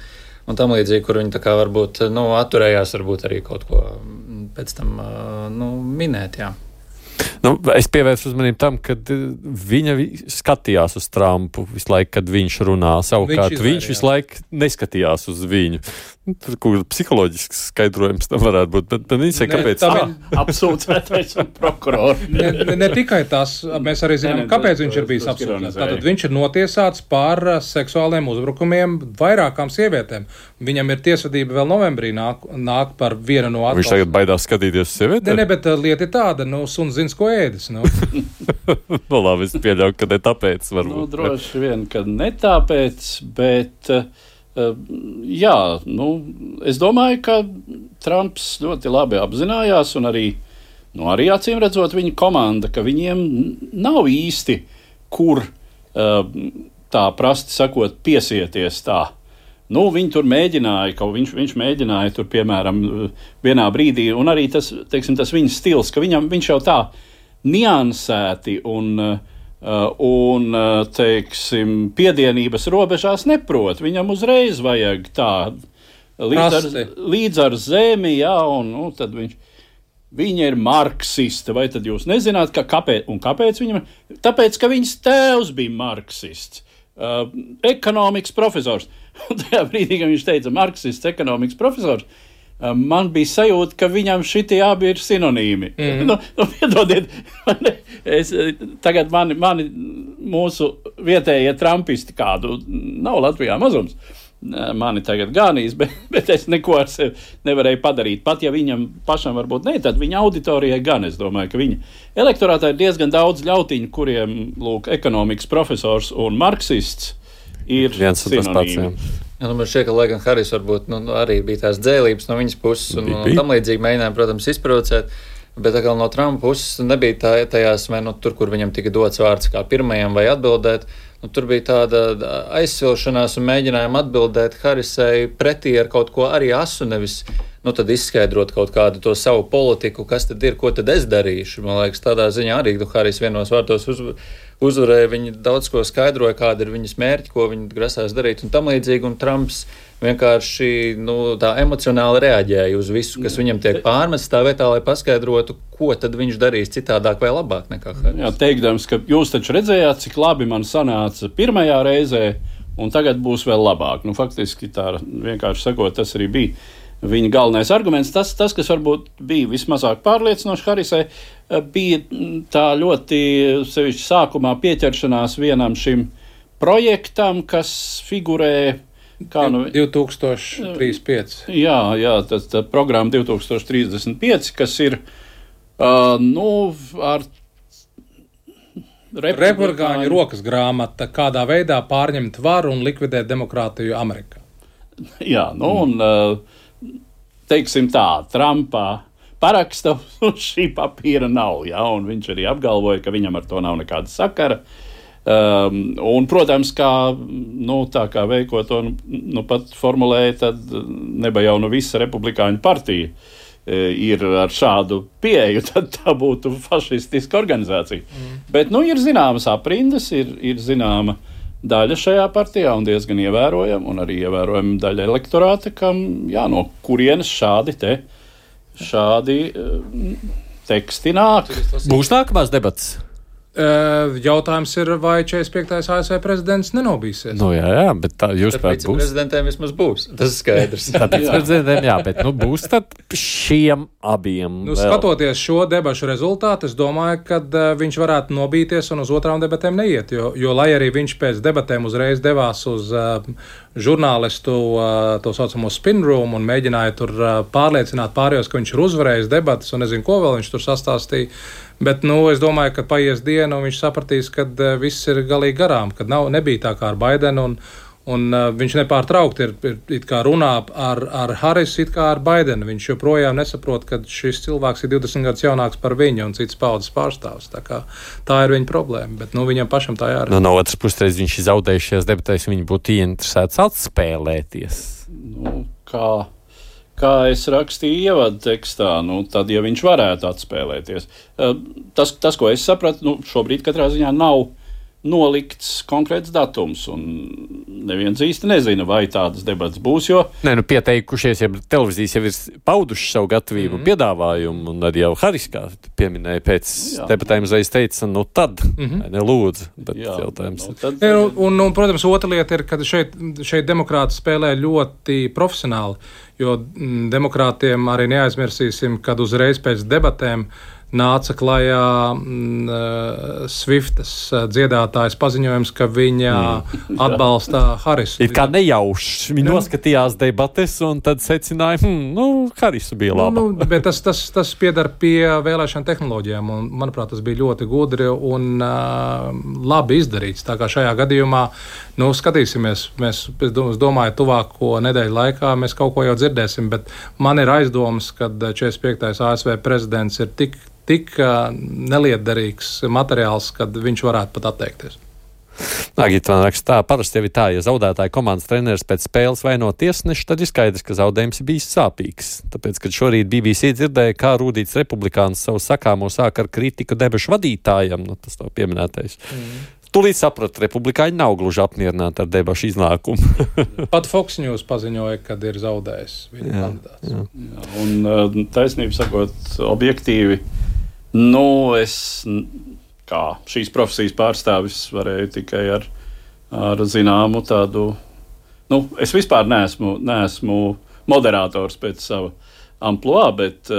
tam līdzīgi, kur viņi tā kā varbūt, atturējās varbūt arī kaut ko pēc tam, minēt, jā. Es pievērsu uzmanību tam, ka viņa skatījās uz Trumpu visu laiku, kad viņš runā. Savukārt viņš visu laiku neskatījās uz viņu. Kur psiholoģisks skaidrojums tam varētu būt. Bet viņš ir kāpēc? Apsūdzētais un prokurors. Ne tikai tas, mēs arī zinām, kāpēc viņš ir bijis apsūdzēts. Tātad viņš ir notiesāts par seksuāliem uzbrukumiem vairākām sievietēm. Viņam ir tiesvedība vēl novembrī nāk par vienu no atklāšanām. Viņš tagad baidās skatīties uz sievietēm? Ne, bet lieta ir tāda, suns zins, ko ēdis. Labi, es pieļauju, ka ne tāpēc varbūt. Droši vien, ka ne tāpēc, bet jā, es domāju, ka Trumps ļoti labi apzinājās un arī acīm redzot viņa komanda, ka viņiem nav īsti, kur tā prasti sakot piesieties tā. Viņi tur mēģināja, viņš mēģināja tur, piemēram, vienā brīdī, un arī tas viņa stils, ka viņš jau tā niansēti un piedienības robežās neprot. Viņam uzreiz vajag tā līdz ar zemi, jā, un tad viņa ir marksiste, vai tad jūs nezināt, kāpēc viņam? Tāpēc, ka viņas tēvs bija marksists, ekonomikas profesors. Un tajā brīdī, kad viņš teica marksists, ekonomikas profesors, man bija sajūta, ka viņam šitie abi ir sinonīmi. Piedodiet, tagad mani mūsu vietējie trumpisti kādu nav Latvijā mazums. Mani tagad ganīs, bet es neko ar sevi nevarēju padarīt. Pat ja viņam pašam varbūt ne, tad viņa auditorijai gan. Es domāju, ka viņa elektorātā ir diezgan daudz ļautiņu, kuriem, ekonomikas profesors un marksists ir sinonīmi. Man šķiet, ka lai gan Haris varbūt arī bija tās dzēlības no viņas puses un tam līdzīgi mēģināja, protams, izprovocēt, bet atkal no Trumpa puses nebija tajās, vai tur, kur viņam tika dots vārds kā pirmajam vai atbildēt, tur bija tāda aizsilšanās un mēģinājuma atbildēt Harisai pretī ar kaut ko arī asu, nevis tad izskaidrot kaut kādu to savu politiku, kas tad ir, ko tad es darīšu. Man liekas, tādā ziņā arī Haris vienos vārtos uzvarēja, viņi daudz ko skaidroja, kāda ir viņas mērķi, ko viņi grasās darīt un tam līdzīgi, un Trumps vienkārši tā emocionāli reaģēja uz visu, kas viņam tiek pārmests tā vietā, lai paskaidrotu, ko tad viņš darīs citādāk vai labāk nekā Haris. Jā, teikdams, ka jūs taču redzējāt, cik labi man sanāca pirmajā reizē, un tagad būs vēl labāk. Faktiski tā vienkārši sakot, tas arī bija viņa galvenais arguments. Tas, kas varbūt bija vismazāk pārliecinoši Harisai, bija tā ļoti sevišķi sākumā pieķeršanās vienam šim projektam, kas figurē 2035. Jā, tas programma 2035, kas ir ar republikāņu rokas grāmata, kādā veidā pārņemt varu un likvidēt demokrātiju Amerikā. Jā, un teiksim tā, Trumpā paraksta uz šī papīra nav, ja, un viņš arī apgalvoja, ka viņam ar to nav nekāda sakara. Un, protams, tā kā Veiko to pat formulēja, tad neba jau visa republikāņu partija ir ar šādu pieeju, tad tā būtu fašistiska organizācija. Bet, ir zināmas aprindas, ir zināma daļa šajā partijā un diezgan ievērojama, un arī ievērojama daļa elektorāta, kam, no kurienes šādi teksti nāk. Būs nākamās debatas? Jautājums ir, vai 45. ASV prezidents nenobīsies? Jā, bet tā jūs prāt būs. Prezidentiem vismaz būs, tas ir skaidrs. Tāpēc prezidentiem, bet būs tad šiem abiem. Skatoties šo debašu rezultātu, es domāju, ka viņš varētu nobīties un uz otrām debatēm neiet, jo lai arī viņš pēc debatēm uzreiz devās uz žurnālistu to saucamo spin room un mēģināja tur pārliecināt pārējos, ka viņš ir uzvarējis debatas un nezinu, ko vēl viņš tur sastāstīja. Bet es domāju, ka paies diena un viņš sapratīs, ka viss ir galīgi garām, kad nebija tā kā ar Baidenu un viņš nepārtraukti ir it kā runā ar Harisu it kā ar Baidenu. Viņš joprojām nesaprot, ka šis cilvēks ir 20 gadus jaunāks par viņu un cits paudzes pārstāvs. Tā ir viņa problēma, bet viņam pašam tā jārada. No otras puses, viņš ir zaudējušies debatēs, viņi būtu ieinteresēts atspēlēties. Kā es rakstīju ievadu tekstā, tad, ja viņš varētu atspēlēties. Tas, ko es sapratu, šobrīd katrā ziņā nav nolikts konkrēts datums, un neviens īsti nezina, vai tādas debatas būs, jo... Pieteikušies, ja televīzijas jau ir pauduši savu gatavību piedāvājumu, un arī jau Haris, kā pieminēja, pēc debatēm uzreiz teica, tad, lūdzu, bet jautājums. Un, protams, otra lieta ir, ka šeit demokrāti spēlē ļoti profesionāli, jo demokrātiem arī neaizmirsīsim, kad uzreiz pēc debatēm nāca klajā Swiftas dziedātājas paziņojums, ka viņa atbalsta Harisu. Ir kā nejauši. Viņi noskatījās debates un tad secināja, Harisu bija laba. Bet tas piedar pie vēlēšana tehnoloģijām, un, manuprāt, tas bija ļoti gudri un labi izdarīts. Tā kā šajā gadījumā, skatīsimies, es domāju, tuvāko nedēļu laikā mēs kaut ko jau dzirdēsim, bet man ir aizdomas, ka 45. ASV prezidents ir tik nelietderīgs materiāls, kad viņš varētu pat atteikties. Agita man raksta tā, parasti jau ir tā, ja zaudētāja komandas treneris pēc spēles vaino tiesneši, tad ir skaidrs, ka zaudējums ir bijis sāpīgs. Tāpēc, kad šorīt BBC dzirdēja, kā Rūdīts republikāns savu sakāmo sāk ar kritiku debašu vadītājam, tas tā pieminētais. Tūlīt sapratu, republikāņi nav gluži apmierināti ar debašu iznākumu. Pat Fox News paziņoja, kad ir zaudējis viņa kandidāts. Jā, un taisnību sakot, objektīvi, es kā šīs profesijas pārstāvis varēju tikai ar zināmu tādu, es vispār neesmu moderators pēc sava amploā, bet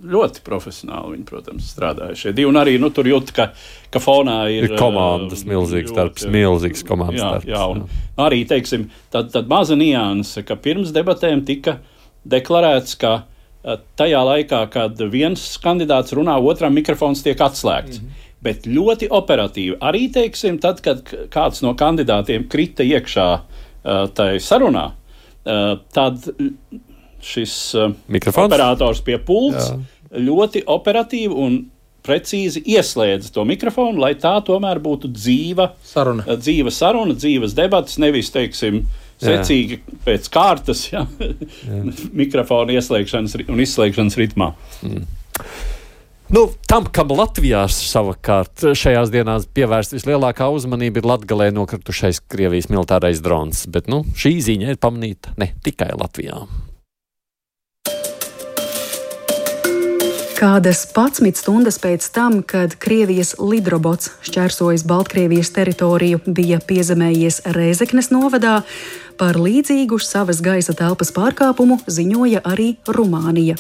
ļoti profesionāli viņi, protams, strādāja šie divi. Un arī tur jūt, ka fonā ir komandas milzīgs darbs, milzīgs komandas darbs. Jā, un arī, teiksim, tad maza nianse, ka pirms debatēm tika deklarēts, ka tajā laikā, kad viens kandidāts runā, otram mikrofons tiek atslēgts. Bet ļoti operatīvi. Arī, teiksim, tad, kad kāds no kandidātiem krita iekšā tai sarunā, tad šis operators pie pults ļoti operatīvi un precīzi ieslēdz to mikrofonu, lai tā tomēr būtu dzīva saruna, dzīvas debatas, nevis, teiksim, secīgi pēc kārtas, mikrofona ieslēgšanas un izslēgšanas ritmā. Tam, kam Latvijā savukārt šajās dienās pievērst vislielākā uzmanība, ir Latgalē nokritušais Krievijas militārais drons, bet šī ziņa ir pamanīta ne tikai Latvijā. Kādas 11 stundas pēc tam, kad Krievijas lidrobots šķērsojis Baltkrievijas teritoriju, bija piezemējies Rēzeknes novadā, par līdzīgu savas gaisa telpas pārkāpumu ziņoja arī Rumānija.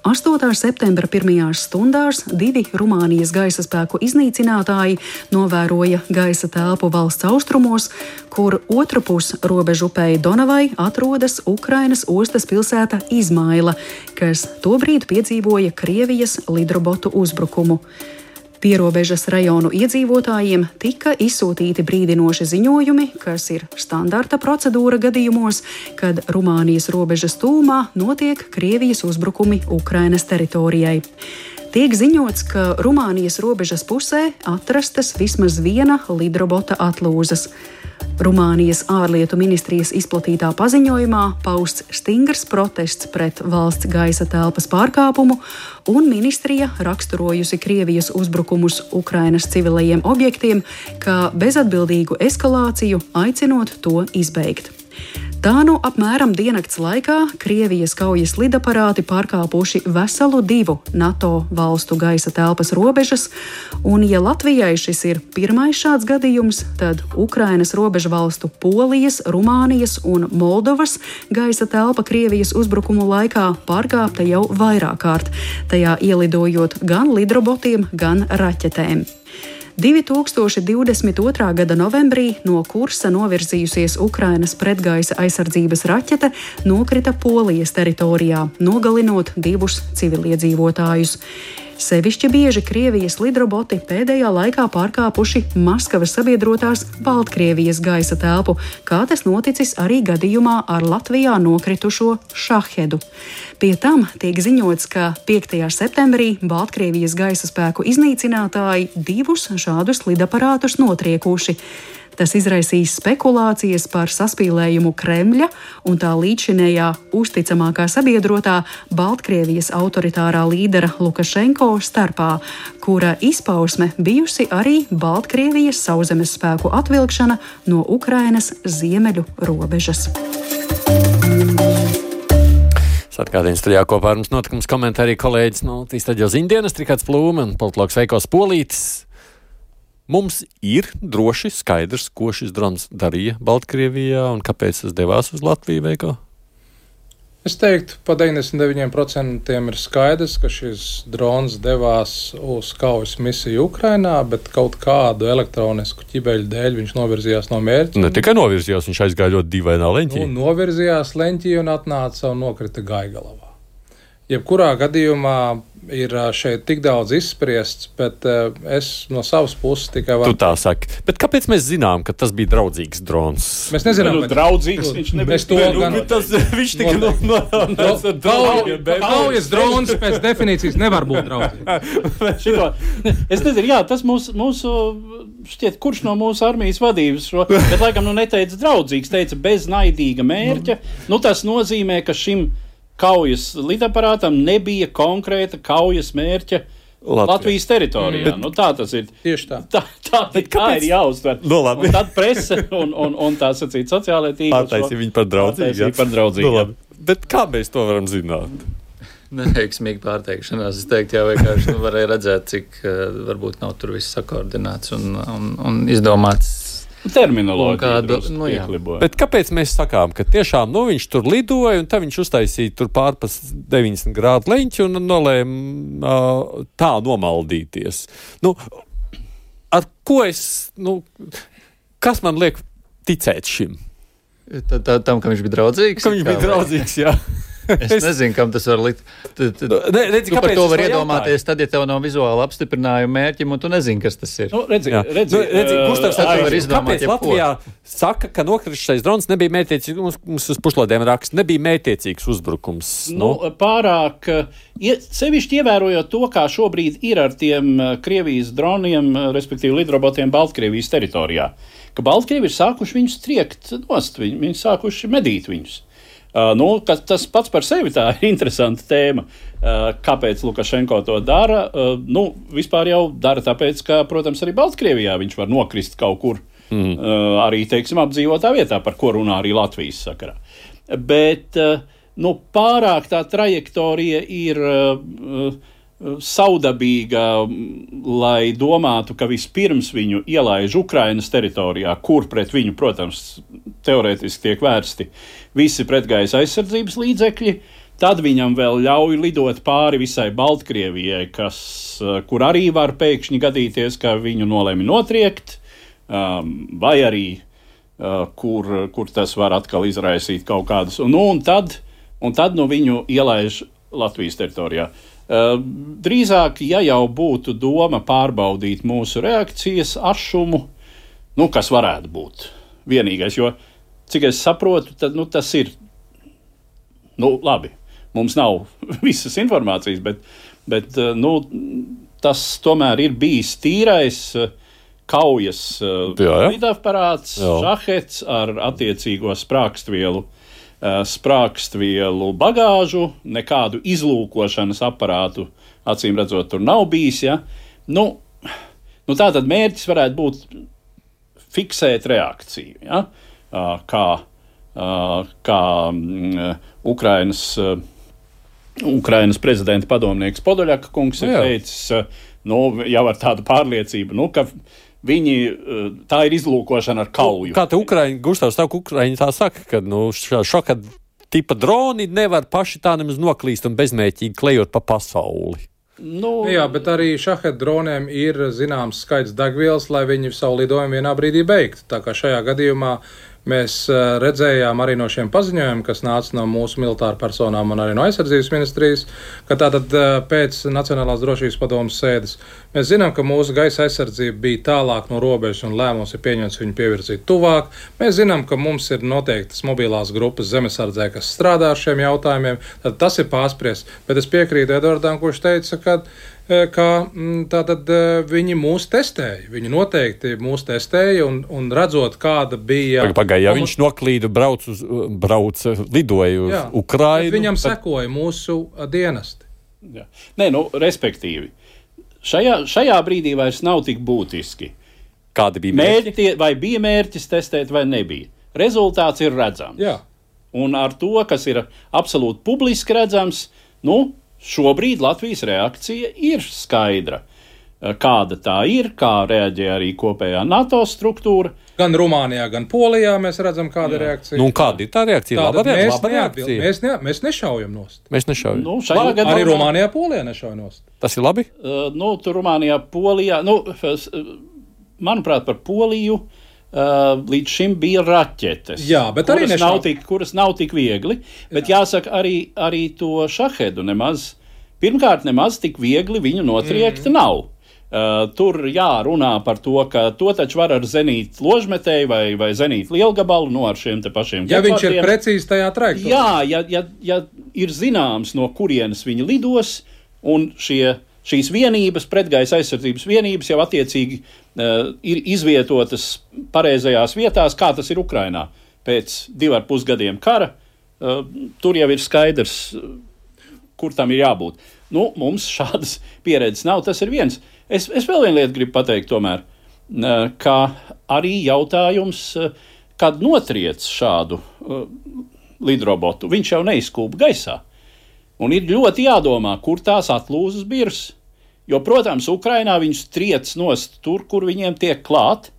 8. septembra pirmajās stundās 2 Rumānijas gaisa spēku iznīcinātāji novēroja gaisa telpu valsts austrumos, kur otrpus robežu upei Donavai atrodas Ukrainas ostas pilsēta Izmaila, kas tobrīd piedzīvoja Krievijas lidrobotu uzbrukumu. Pierobežas rajonu iedzīvotājiem tika izsūtīti brīdinoši ziņojumi, kas ir standarta procedūra gadījumos, kad Rumānijas robežas tūmā notiek Krievijas uzbrukumi Ukrainas teritorijai. Tiek ziņots, ka Rumānijas robežas pusē atrastas vismaz viena lidrobota atlūzas. Rumānijas ārlietu ministrijas izplatītā paziņojumā pausts stingrs protests pret valsts gaisa telpas pārkāpumu, un ministrija raksturojusi Krievijas uzbrukumus Ukrainas civilajiem objektiem kā bezatbildīgu eskalāciju, aicinot to izbeigt. Tā apmēram diennakts laikā Krievijas kaujas lidaparāti pārkāpuši veselu 2 NATO valstu gaisa telpas robežas, un, ja Latvijai šis ir pirmais šāds gadījums, tad Ukrainas robežu valstu Polijas, Rumānijas un Moldovas gaisa telpa Krievijas uzbrukumu laikā pārkāpta jau vairāk kārt, tajā ielidojot gan lidrobotiem, gan raķetēm. 2022. gada novembrī no kursa novirzījusies Ukrainas pretgaisa aizsardzības raķete nokrita Polijas teritorijā, nogalinot 2 civiliedzīvotājus. Sevišķi bieži Krievijas lidroboti pēdējā laikā pārkāpuši Maskavas sabiedrotās Baltkrievijas gaisa telpu, kā tas noticis arī gadījumā ar Latvijā nokritušo Šahedu. Pie tam tiek ziņots, ka 5. septembrī Baltkrievijas gaisa spēku iznīcinātāji 2 šādus lidaparātus notriekuši. Tas izraisīs spekulācijas par saspīlējumu Kremļa un tā līdzinējā uzticamākā sabiedrotā Baltkrievijas autoritārā līdera Lukašenko starpā, kura izpausme bijusi arī Baltkrievijas sauszemes spēku atvilkšana no Ukrainas ziemeļu robežas. Atkārtījums studijā kopā ar mums notikums komentē arī kolēģis no Latvijas radio ziņdienas Rihards Plūme un politologs Veikos Polītis. Mums ir droši skaidrs, ko šis drons darīja Baltkrievijā un kāpēc tas devās uz Latviju, Veiko? Es teiktu, pa 99% ir skaidrs, ka šis drons devās uz kaujas misiju Ukrainā, bet kaut kādu elektronisku ķibeļu dēļ viņš novirzījās no mērķa. Ne tikai novirzījās, viņš aizgāja ļoti dīvainā leņķī. Novirzījās leņķī un atnāca un nokrita Gaigalavā. Jebkurā gadījumā ir šeit tik daudz izspriests, bet es no savas puses tikai varu. Tu tā saki. Bet kāpēc mēs zinām, ka tas bija draudzīgs drons? Mēs nezinām, bet draudzīgs viņš nebija. Viņš tika norādīts ar draudiem. Kaujas drons pēc definīcijas nevar būt draudzīgs. Es nezinu, jā, tas mūsu šķiet, kurš no mūsu armijas vadības šo, bet laikam neteica draudzīgs, teica bez naidīga mērķa. Tas nozīmē, ka šim kaujas lidaparātam nebija konkrēta kaujas mērķa Latvijas teritorijā. Tā tas ir. Tieši tā. Tā ir jāuztver. Un tad prese un tā sacīt sociālajā tīklā. Pārtaisīja viņu par draudzīgu. Bet kā mēs to varam zināt? Neveiksmīgi pārteikšanās. Es teiktu, jā, vienkārši varēja redzēt, cik varbūt nav tur viss sakoordinēts un izdomāts. Terminoloģija. Bet kāpēc mēs sakām, ka tiešām viņš tur lidoja un tad viņš uztaisīja tur pārpas 90 grādu leņķi un nolēma tā nomaldīties? Ar ko kas man liek ticēt šim? Tam, ka viņš bija draudzīgs? Ka viņš bija draudzīgs, jā. Es nezinu, kam tas var likt. Tu par to var iedomāties, tad, ja tev nav vizuāla apstiprinājuma mērķim, un tu nezini, kas tas ir. Kāpēc Latvijā saka, ka nokrišais drons nebija mērķiecīgs, mums uz pušlādiem raksta, nebija mērķiecīgs uzbrukums? Pārāk, sevišķi ievērojot to, kā šobrīd ir ar tiem Krievijas droniem, respektīvi lidrobotiem Baltkrievijas teritorijā, ka Baltkrievi ir sākuši viņus triekt nost, viņi sākuši medīt viņus. Tas pats par sevi tā ir interesanta tēma. Kāpēc Lukašenko to dara? Vispār jau dara tāpēc, ka, protams, arī Baltkrievijā viņš var nokrist kaut kur, arī, teiksim, apdzīvotā vietā, par ko runā arī Latvijas sakarā. Bet, pārāk tā trajektorija ir saudabīga, lai domātu, ka vispirms viņu ielaiž Ukrainas teritorijā, kur pret viņu, protams, teorētiski tiek vērsti visi pretgaisa aizsardzības līdzekļi, tad viņam vēl ļauj lidot pāri visai Baltkrievijai, kur arī var pēkšņi gadīties, ka viņu nolēma notriekt, vai arī kur tas var atkal izraisīt kaut kādas. Un tad viņu ielaiž Latvijas teritorijā. Drīzāk, ja jau būtu doma pārbaudīt mūsu reakcijas ašumu, kas varētu būt vienīgais, jo, cik es saprotu, tad, tas ir, labi, mums nav visas informācijas, bet tas tomēr ir bijis tīrais kaujas lidaparāts, šahets ar attiecīgo sprākstvielu bagāžu, nekādu izlūkošanas aparātu, acīm redzot, tur nav bijis. Ja? Tātad mērķis varētu būt fiksēt reakciju, ja? kā Ukrainas prezidenta padomnieks Podoļaka kungs ir teicis, jau ar tādu pārliecību, ka tā ir izlūkošana ar kauju. Kā te Gustavs Ukraiņi tā saka, ka šoka tipa droni nevar paši tā nemaz noklīst un bezmērķīgi klejot pa pasauli. Jā, bet arī šahed droniem ir zināms skaits degvielas, lai viņi savu lidojumu vienā brīdī beigtu. Tā kā šajā gadījumā mēs redzējām arī no šiem paziņojumiem, kas nāca no mūsu militāru personām un arī no aizsardzības ministrijas, ka tātad pēc Nacionālās drošības padomes sēdes mēs zinām, ka mūsu gaisa aizsardzība bija tālāk no robežas un lēmums ir pieņemts viņu pievirzīt tuvāk. Mēs zinām, ka mums ir noteiktas mobilās grupas zemesardzē, kas strādā ar šiem jautājumiem, tad tas ir pārspriests. Bet es piekrītu Edvardam, kurš teica, ka tātad viņi mūs testēja. Viņi noteikti mūs testēja un redzot, kāda bija... Ja viņš noklīda, lidoja uz Ukrainu... Viņam sekoja mūsu dienesti. Jā. Respektīvi, šajā brīdī vairs nav tik būtiski. Kādi bija mērķi? Vai bija mērķis testēt vai nebija. Rezultāts ir redzams. Jā. Un ar to, kas ir absolūti publiski redzams, šobrīd Latvijas reakcija ir skaidra. Kāda tā ir, kā reaģē arī kopējā NATO struktūra. Gan Rumānijā, gan Polijā mēs redzam, kāda ir reakcija. Kāda ir tā reakcija? Laba reakcija? Mēs nešaujam nost. Mēs nešaujam. Arī Rumānijā, Polijā nešauj nost. Tas ir labi? Tur Rumānijā, Polijā, manuprāt, par Poliju līdz šim bija raķetes, kuras nav tik viegli, bet jāsaka arī to šahedu pirmkārt nemaz tik viegli viņu notriekt nav. Tur runā par to, ka to taču var ar zenīt ložmetēju vai zenīt lielgabalu, ar šiem te pašiem gepardiem. Ja viņš ir precīzi tajā trajektorijā. Jā, ja ir zināms, no kurienes viņi lidos, un šīs vienības, pretgaisa aizsardzības vienības jau attiecīgi ir izvietotas pareizajās vietās, kā tas ir Ukrainā. Pēc 2,5 gadiem kara tur jau ir skaidrs, kur tam ir jābūt. Mums šādas pieredzes nav, tas ir viens. Es vēl vienu lietu gribu pateikt tomēr, ka arī jautājums, kad notriec šādu lidrobotu, viņš jau neizkūpa gaisā. Un ir ļoti jādomā, kur tās atlūzas birs. Jo, protams, Ukrainā viņus triec nost tur, kur viņiem tiek klāt,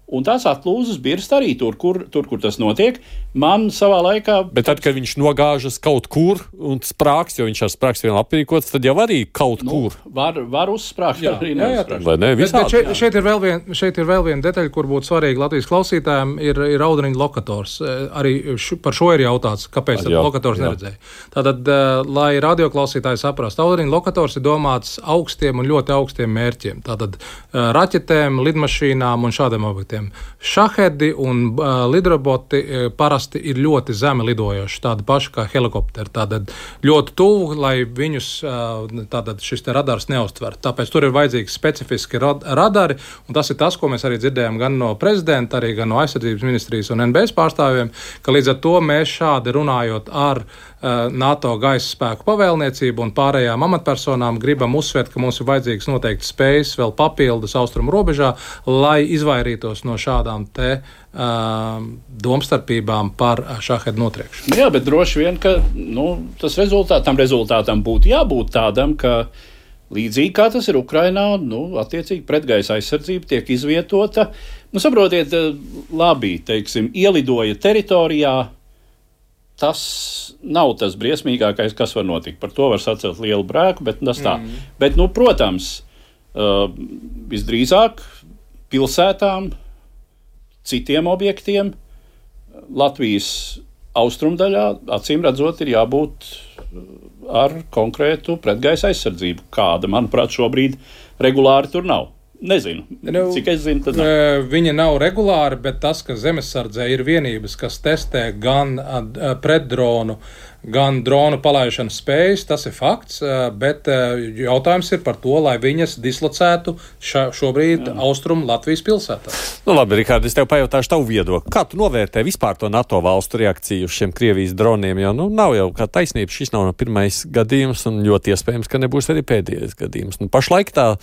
un tās atlūzas birst arī tur, kur tas notiek. Man savā laikā... Bet tad, kad viņš nogāžas kaut kur un sprāks, jo viņš ar sprāks vien aprīkots, tad jau arī kaut kur. Var uzsprākt, arī neuzsprākt. Šeit ir vēl viena detaļa, kur būtu svarīga Latvijas klausītājiem, ir audriņu lokators. Arī par šo ir jautāts, kāpēc lokators neredzēja. Tātad, lai radioklausītāji saprast, audriņu lokators ir domāts augstiem un ļoti augstiem mērķiem. Tātad raķetēm, lidmašīnām un šādiem objektiem. Šahedi un lidroboti parasti ir ļoti zemi lidojoši, tādi paši kā helikopteri, tātad ļoti tuvu, lai viņus šis te radars neuztver. Tāpēc tur ir vajadzīgi specifiski radari, un tas ir tas, ko mēs arī dzirdējām gan no prezidenta, arī gan no aizsardzības ministrijas un NBS pārstāvjiem, ka līdz ar to mēs šādi runājot ar NATO gaisa spēku pavēlniecību un pārējām amatpersonām gribam uzsvērt, ka mums ir vajadzīgs noteikti spējas vēl papildus austrumu robežā, lai izvairītos no šādām te domstarpībām par šahedu notriekšanu. Jā, bet droši vien, ka tas rezultātam būtu jābūt tādam, ka līdzīgi kā tas ir Ukrainā, attiecīgi pretgaisa aizsardzība tiek izvietota. Saprotiet, labi, teiksim, ielidoja teritorijā, tas nav tas briesmīgākais, kas var notikt. Par to var sacelt lielu brēku, bet tas tā. Bet, protams, visdrīzāk pilsētām, citiem objektiem, Latvijas austrumdaļā, acīm redzot, ir jābūt ar konkrētu pretgaisa aizsardzību, kāda, manuprāt, šobrīd regulāri tur nav. Nezinu, cik es zinu, tad nav. Viņa nav regulāra, bet tas, ka zemesardzē ir vienības, kas testē gan pretdronu, gan dronu palaišanas spējas, tas ir fakts, bet jautājums ir par to, lai viņas dislocētu šobrīd austrumu Latvijas pilsētā. Nu labi, Rikārd, es tev pajautāšu tavu viedokli. Kā tu novērtē vispār to NATO valstu reakciju uz šiem Krievijas droniem? Jo, nav jau kā taisnība, šis nav pirmais gadījums un ļoti iespējams, ka nebūs arī pēdējais gadījums. Pašlaik tā.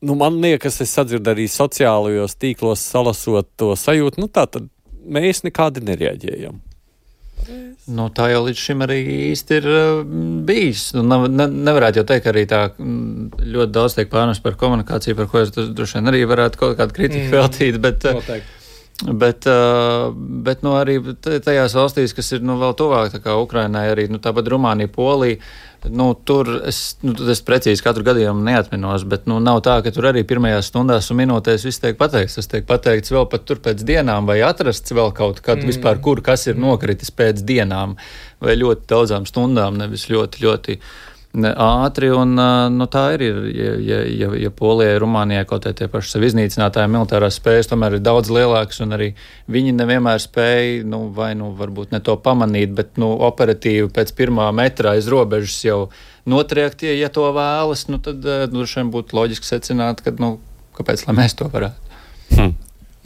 Man liekas, es sadzirdu arī sociālajos tīklos salasot to sajūtu, tā tad mēs nekādi nereaģējam. Tā jau līdz šim arī īsti ir bijis. Nevarētu jau teikt, ka arī tā ļoti daudz tiek pārnests par komunikāciju, par ko es droši vien arī varētu kaut kādu kritiku veltīt, bet arī tajās valstīs, kas ir vēl tuvāk, tā kā Ukrainai arī, tāpat Rumānija, Polija, tur es precīzi katru gadījumu neatminos, bet nav tā, ka tur arī pirmajās stundās un minūtēs viss tiek pateikts. Tas tiek pateikts vēl pat tur pēc dienām vai atrasts vēl kaut kad vispār, kas ir nokritis pēc dienām vai ļoti daudzām stundām, nevis ļoti, ļoti ātri, un tā ir, ja Polijai, Rumānijai kaut tie paši sev iznīcinātāji militārās spējas tomēr ir daudz lielākas, un arī viņi nevienmēr spēja, varbūt ne to pamanīt, bet, operatīvi pēc pirmā metra aiz robežas jau notriekt, ja to vēlas, tad droši vien būtu loģiski secināt, ka, kāpēc, lai mēs to varētu.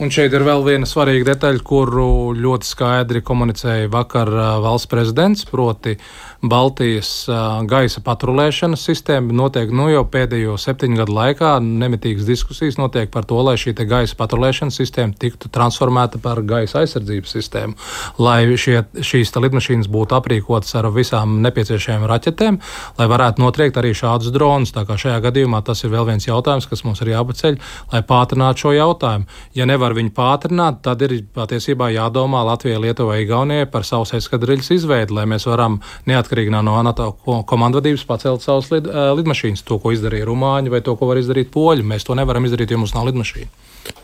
Un šeit ir vēl viena svarīga detaļa, kuru ļoti skaidri komunicēja vakar valsts prezidents, proti Baltijas gaisa patrulēšanas sistēma. Notiek jau pēdējo 7 gadu laikā nemitīgas diskusijas notiek par to, lai šī gaisa patrulēšanas sistēma tiktu transformēta par gaisa aizsardzības sistēmu, lai šīs lidmašīnas būtu aprīkotas ar visām nepieciešamajām raķetēm, lai varētu notriekt arī šādus dronus. Tā kā šajā gadījumā tas ir vēl viens jautājums, kas mums ir jāpaceļ, lai pātrinātu šo jautājumu. Ja nevar viņu pātrināt, tad ir patiesībā jādomā Latvijai, Lietuvai, Igaunijai par savas eskadriļas izveidi, lai mēs varam neatkarīgi no NATO komandvadības pacelt savas lidmašīnas, to, ko izdarīja Rumāņi vai to, ko var izdarīt Poļi. Mēs to nevaram izdarīt, jo mums nav lidmašīna.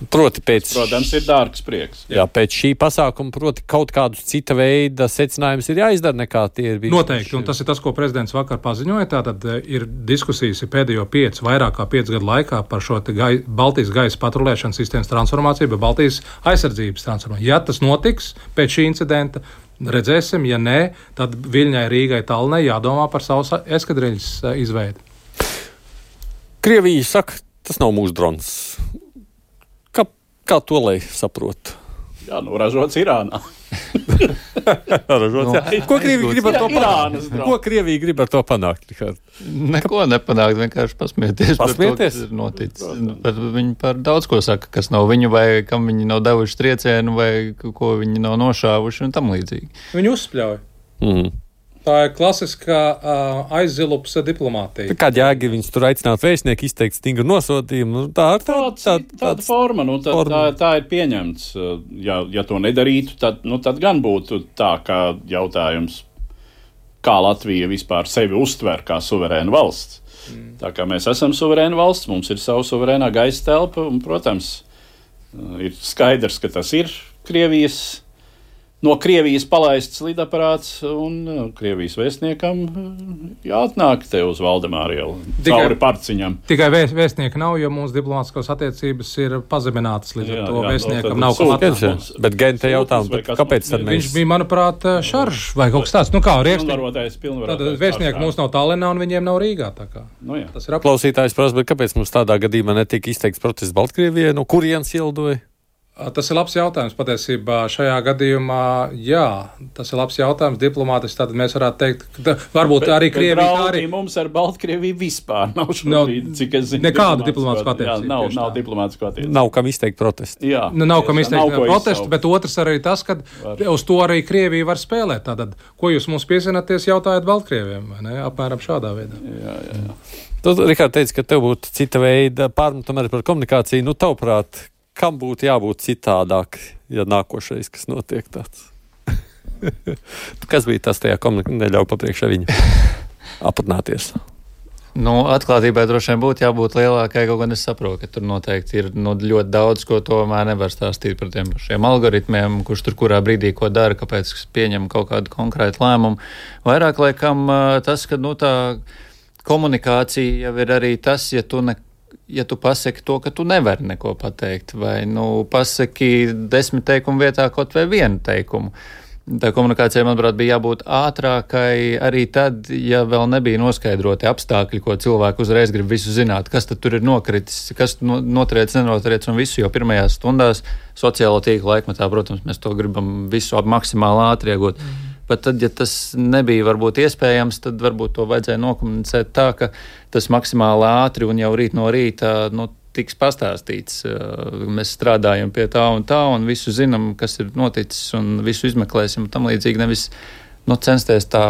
Protams, ir dārgs prieks. Jā, pēc šī pasākuma, kaut kādus cita veida secinājumus ir jāizdara, nekā tie ir bijuši. Noteikti, un tas ir tas, ko prezidents vakar paziņoja. Tātad ir diskusijas pēdējo vairāk kā 5 gadu laikā par šo Baltijas gaisa patrulēšanas sistēmas transformāciju, bet Baltijas aizsardzības transformāciju. Ja tas notiks pēc šī incidenta, redzēsim, ja nē, tad Viļņai, Rīgai, Tallinai jādomā par savas eskadriļas izveidi. Krievija saka, tas nav mūsu drons. Kā to lai saprot? Jā, ražots Irānā. Ko Krievija grib ar to panākt? Ko Krievija grib ar to panākt? Neko nepanākt, vienkārši pasmieties par to, kas ir noticis. Viņi par daudz ko saka, kas nav viņu vai kam viņi nav devuši triecienu vai ko viņi nav nošāvuši un tam līdzīgi. Viņi uzspļauj. Tā ir klasiskā aizzilupsa diplomātija. Kāda jēga viņus tur aicināt vēstnieku izteikt stingru nosodījumu? Tāda forma, tā ir pieņemts. Ja to nedarītu, tad gan būtu tā kā jautājums, kā Latvija vispār sevi uztver kā suverēnu valsts. Tā kā mēs esam suverēna valsts, mums ir savu suverēnā gaisa telpa, un, protams, ir skaidrs, ka tas ir no Krievijas palaists lidaparāts, un Krievijas vēstniekam jāatnāk te uz Valdemāra ielu, cauri Parciņam. Tikai vēstnieka nav, jo mūsu diplomātiskās attiecības ir pazeminātas, līdz ar to vēstniekam nav ko atnākt. Bet Gente jautājums, kāpēc tad mēs? Viņš bija, manuprāt, šaržs vai kaut kas tāds. Tad vēstnieki mums nav Tallinā un viņiem nav Rīgā. Tas ir klausītājs prasa, bet kāpēc mums tādā gadījumā netika izteikts protests Baltkrievijai, no kurienes ieldoja? Tas ir labs jautājums patiesībā. Šajā gadījumā, jā, tas ir labs jautājums diplomātiski. Tad mēs varētu teikt, ka varbūt arī Krievija. Arī mums ar Baltkrieviju vispār nav šobrīd, cik es zinu. Nekāda diplomātiska attiecība. Nav diplomātiska attiecība. Nav kam izteikt protestu. Jā. Nav kam izteikt protestu, bet otrs arī tas, ka uz to arī Krievija var spēlēt. Tātad, ko jūs mums piesināties, jautājat Baltkrieviem, vai ne? Apmēram šādā veidā. Jā. Tu, Rikārd, teici, ka tev būtu cita veida pārmetumā par komunikāciju. Tavuprāt, kam būtu jābūt citādāk, ja nākošais, kas notiek tāds? Kas bija tas tajā komunikācijā, neļauj papriekšā viņa apatnāties? Atklātībai droši vien būtu jābūt lielākai, kaut gan es saprotu, ka tur noteikti ir ļoti daudz, ko tomēr nevar stāstīt par tiem pašiem algoritmiem, kurš tur kurā brīdī ko dara, kāpēc pieņem kaut kādu konkrētu lēmumu. Vairāk laikam tas, ka tā komunikācija jau ir arī tas, ja tu pasaki to, ka tu nevari neko pateikt, vai pasaki 10 teikumu vietā kaut vai 1 teikumu. Tā komunikācija, manuprāt, bija jābūt ātrākai arī tad, ja vēl nebija noskaidroti apstākļi, ko cilvēki uzreiz grib visu zināt, kas tad tur ir nokritis, kas notriec, nenotriec un visu, jo pirmajās stundās sociālo tīklu laikmetā, protams, mēs to gribam visu maksimāli ātri iegūt. Bet tad, ja tas nebija varbūt iespējams, tad varbūt to vajadzēja nokomunicēt tā, ka tas maksimāli ātri un jau rīt no rīta, tiks pastāstīts. Mēs strādājam pie tā, un visu zinām, kas ir noticis, un visu izmeklēsim, un tam līdzīgi nevis censties tā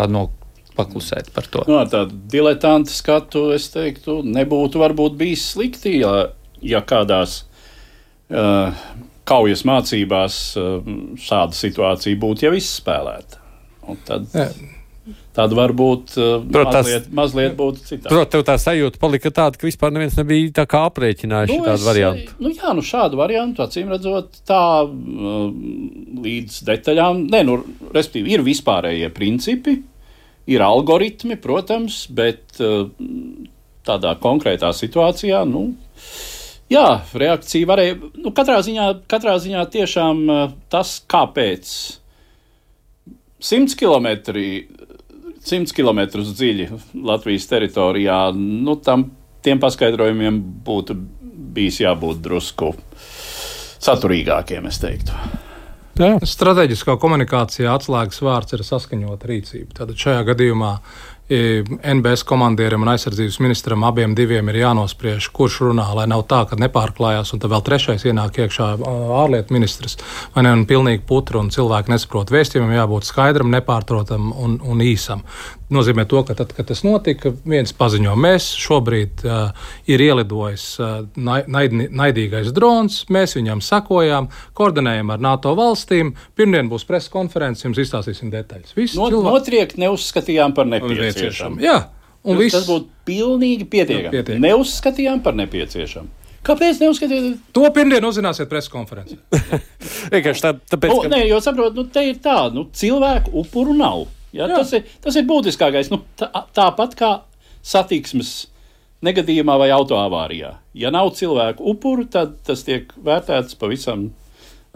paklusēt par to. Tādu diletantu skatu, es teiktu, nebūtu varbūt bijis slikti, ja kādās kaujas mācībās šāda situācija būtu jau izspēlēta. Un tad varbūt mazliet būtu citādi. Protams, tev tā sajūta palika tāda, ka vispār neviens nebija tā kā aprēķinājuši tādu variantu. Šādu variantu, acīm redzot, tā līdz detaļām. Respektīvi, ir vispārējie principi, ir algoritmi, protams, bet tādā konkrētā situācijā, reakcija varēja, katrā ziņā tiešām tas, kāpēc 100 kilometrus dziļi Latvijas teritorijā, tiem paskaidrojumiem būtu bijis jābūt drusku saturīgākiem, es teiktu. Strateģiskā komunikācijā atslēgas vārds ir saskaņota rīcība. Tātad šajā gadījumā NBS komandierim un aizsardzības ministram abiem diviem ir jānospriež, kurš runā, lai nav tā, ka nepārklājās, un tad vēl trešais ienāk iekšā ārlietu ministrs, vai ne, un pilnīgi putra, un cilvēki nesaprot. Vēstījumam jābūt skaidram, nepārprotam un īsam. Nozīmē to, ka tad, kad tas notika, viens paziņo, mēs šobrīd ir ielidojis naidīgais drons, mēs viņam sekojām, koordinējam ar NATO valstīm, pirmdien būs presa konferences, jums izstāstīsim detaļas. Notriekt neuzskatījām par nepieciešamu. Jā, un tas būtu pilnīgi pietiekami. Neuzskatījām par nepieciešamu. Kāpēc neuzskatījāt? To pirmdien uzzināsiet presa konferencē. Vienkārši tāpēc, ka... Nē, jo saprotu, te ir tā, cilvēku upuru nav. Ja, tas ir būtiskākais. Tāpat kā satiksmes negadījumā vai autoavārijā. Ja nav cilvēku upuru, tad tas tiek vērtēts pavisam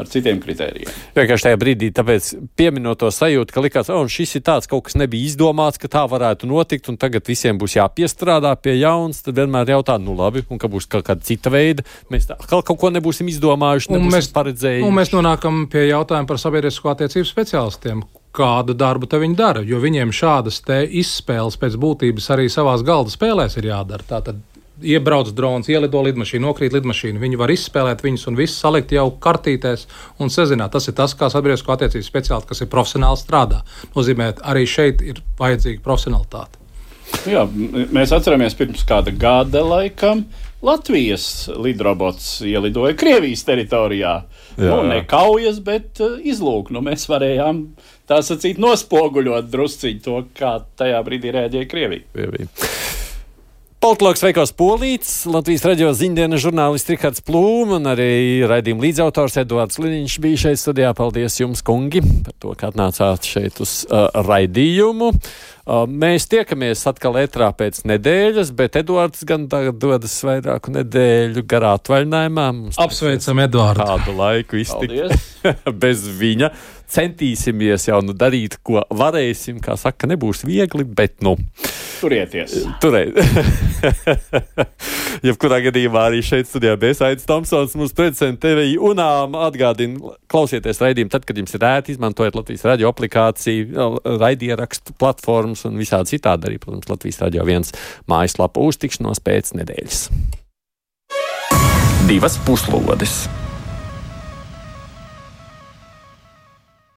ar citiem kritērijiem. Vienkārši tajā brīdī, tāpēc pieminot to sajūtu, ka likās, šis ir tāds, kaut kas nebija izdomāts, ka tā varētu notikt, un tagad visiem būs jāpiestrādā pie jauns, tad vienmēr jautā, labi, un ka būs kaut kāda cita veida. Mēs kaut ko nebūsim izdomājuši, nebūsim paredzējuši. Un mēs nonākam pie jautājuma par sabiedrisko attiecību speciālistiem. Kādu darbu te viņi dara, jo viņiem šādas te izspēles pēc būtības arī savās galda spēlēs ir jādara. Tātad iebrauc drons, ielido lidmašīnu, nokrīt lidmašīnu, viņi var izspēlēt viņus un visu salikt jau kartītēs un sazināt. Tas ir tas, kā sabiedrisko attiecību speciālisti, kas ir profesionāli strādā. Nozīmē, arī šeit ir vajadzīga profesionalitāte. Jā, mēs atceramies pirms kāda gada laikam Latvijas lidrobots ielidoja Krievijas teritorijā. Ne kaujas, bet izlūk. Mēs varējām, tā sacīt, nospoguļot drusciņu to, kā tajā brīdī rēģēja Krievija. Politologs Veikos Polīts, Latvijas radio ziņdienas žurnālists Rihards Plūm un arī raidījuma līdzautors Eduards Liniņš bija šeit studijā. Paldies jums, kungi, par to, ka atnācāt šeit uz raidījumu. Mēs tiekamies atkal ētrā pēc nedēļas, bet Eduards gan tagad dodas vairāku nedēļu garā atvaļinājumā. Apsveicam Eduardu. Tādu laiku iztikt bez viņa. Centīsimies jau darīt, ko varēsim. Kā saka, nebūs viegli, bet turieties. Jebkurā gadījumā arī šeit studijā bija Aidis Tomsons, mūsu producents TV UNAM. Atgādina, klausieties raidījumu tad, kad jums ir ērti, izmantojiet Latvijas radio aplikāciju, raidierakstu platformas un visādi citādi arī, protams, Latvijas radio 1 mājaslapa. Uz tikšanos pēc nedēļas. 2 puslodes.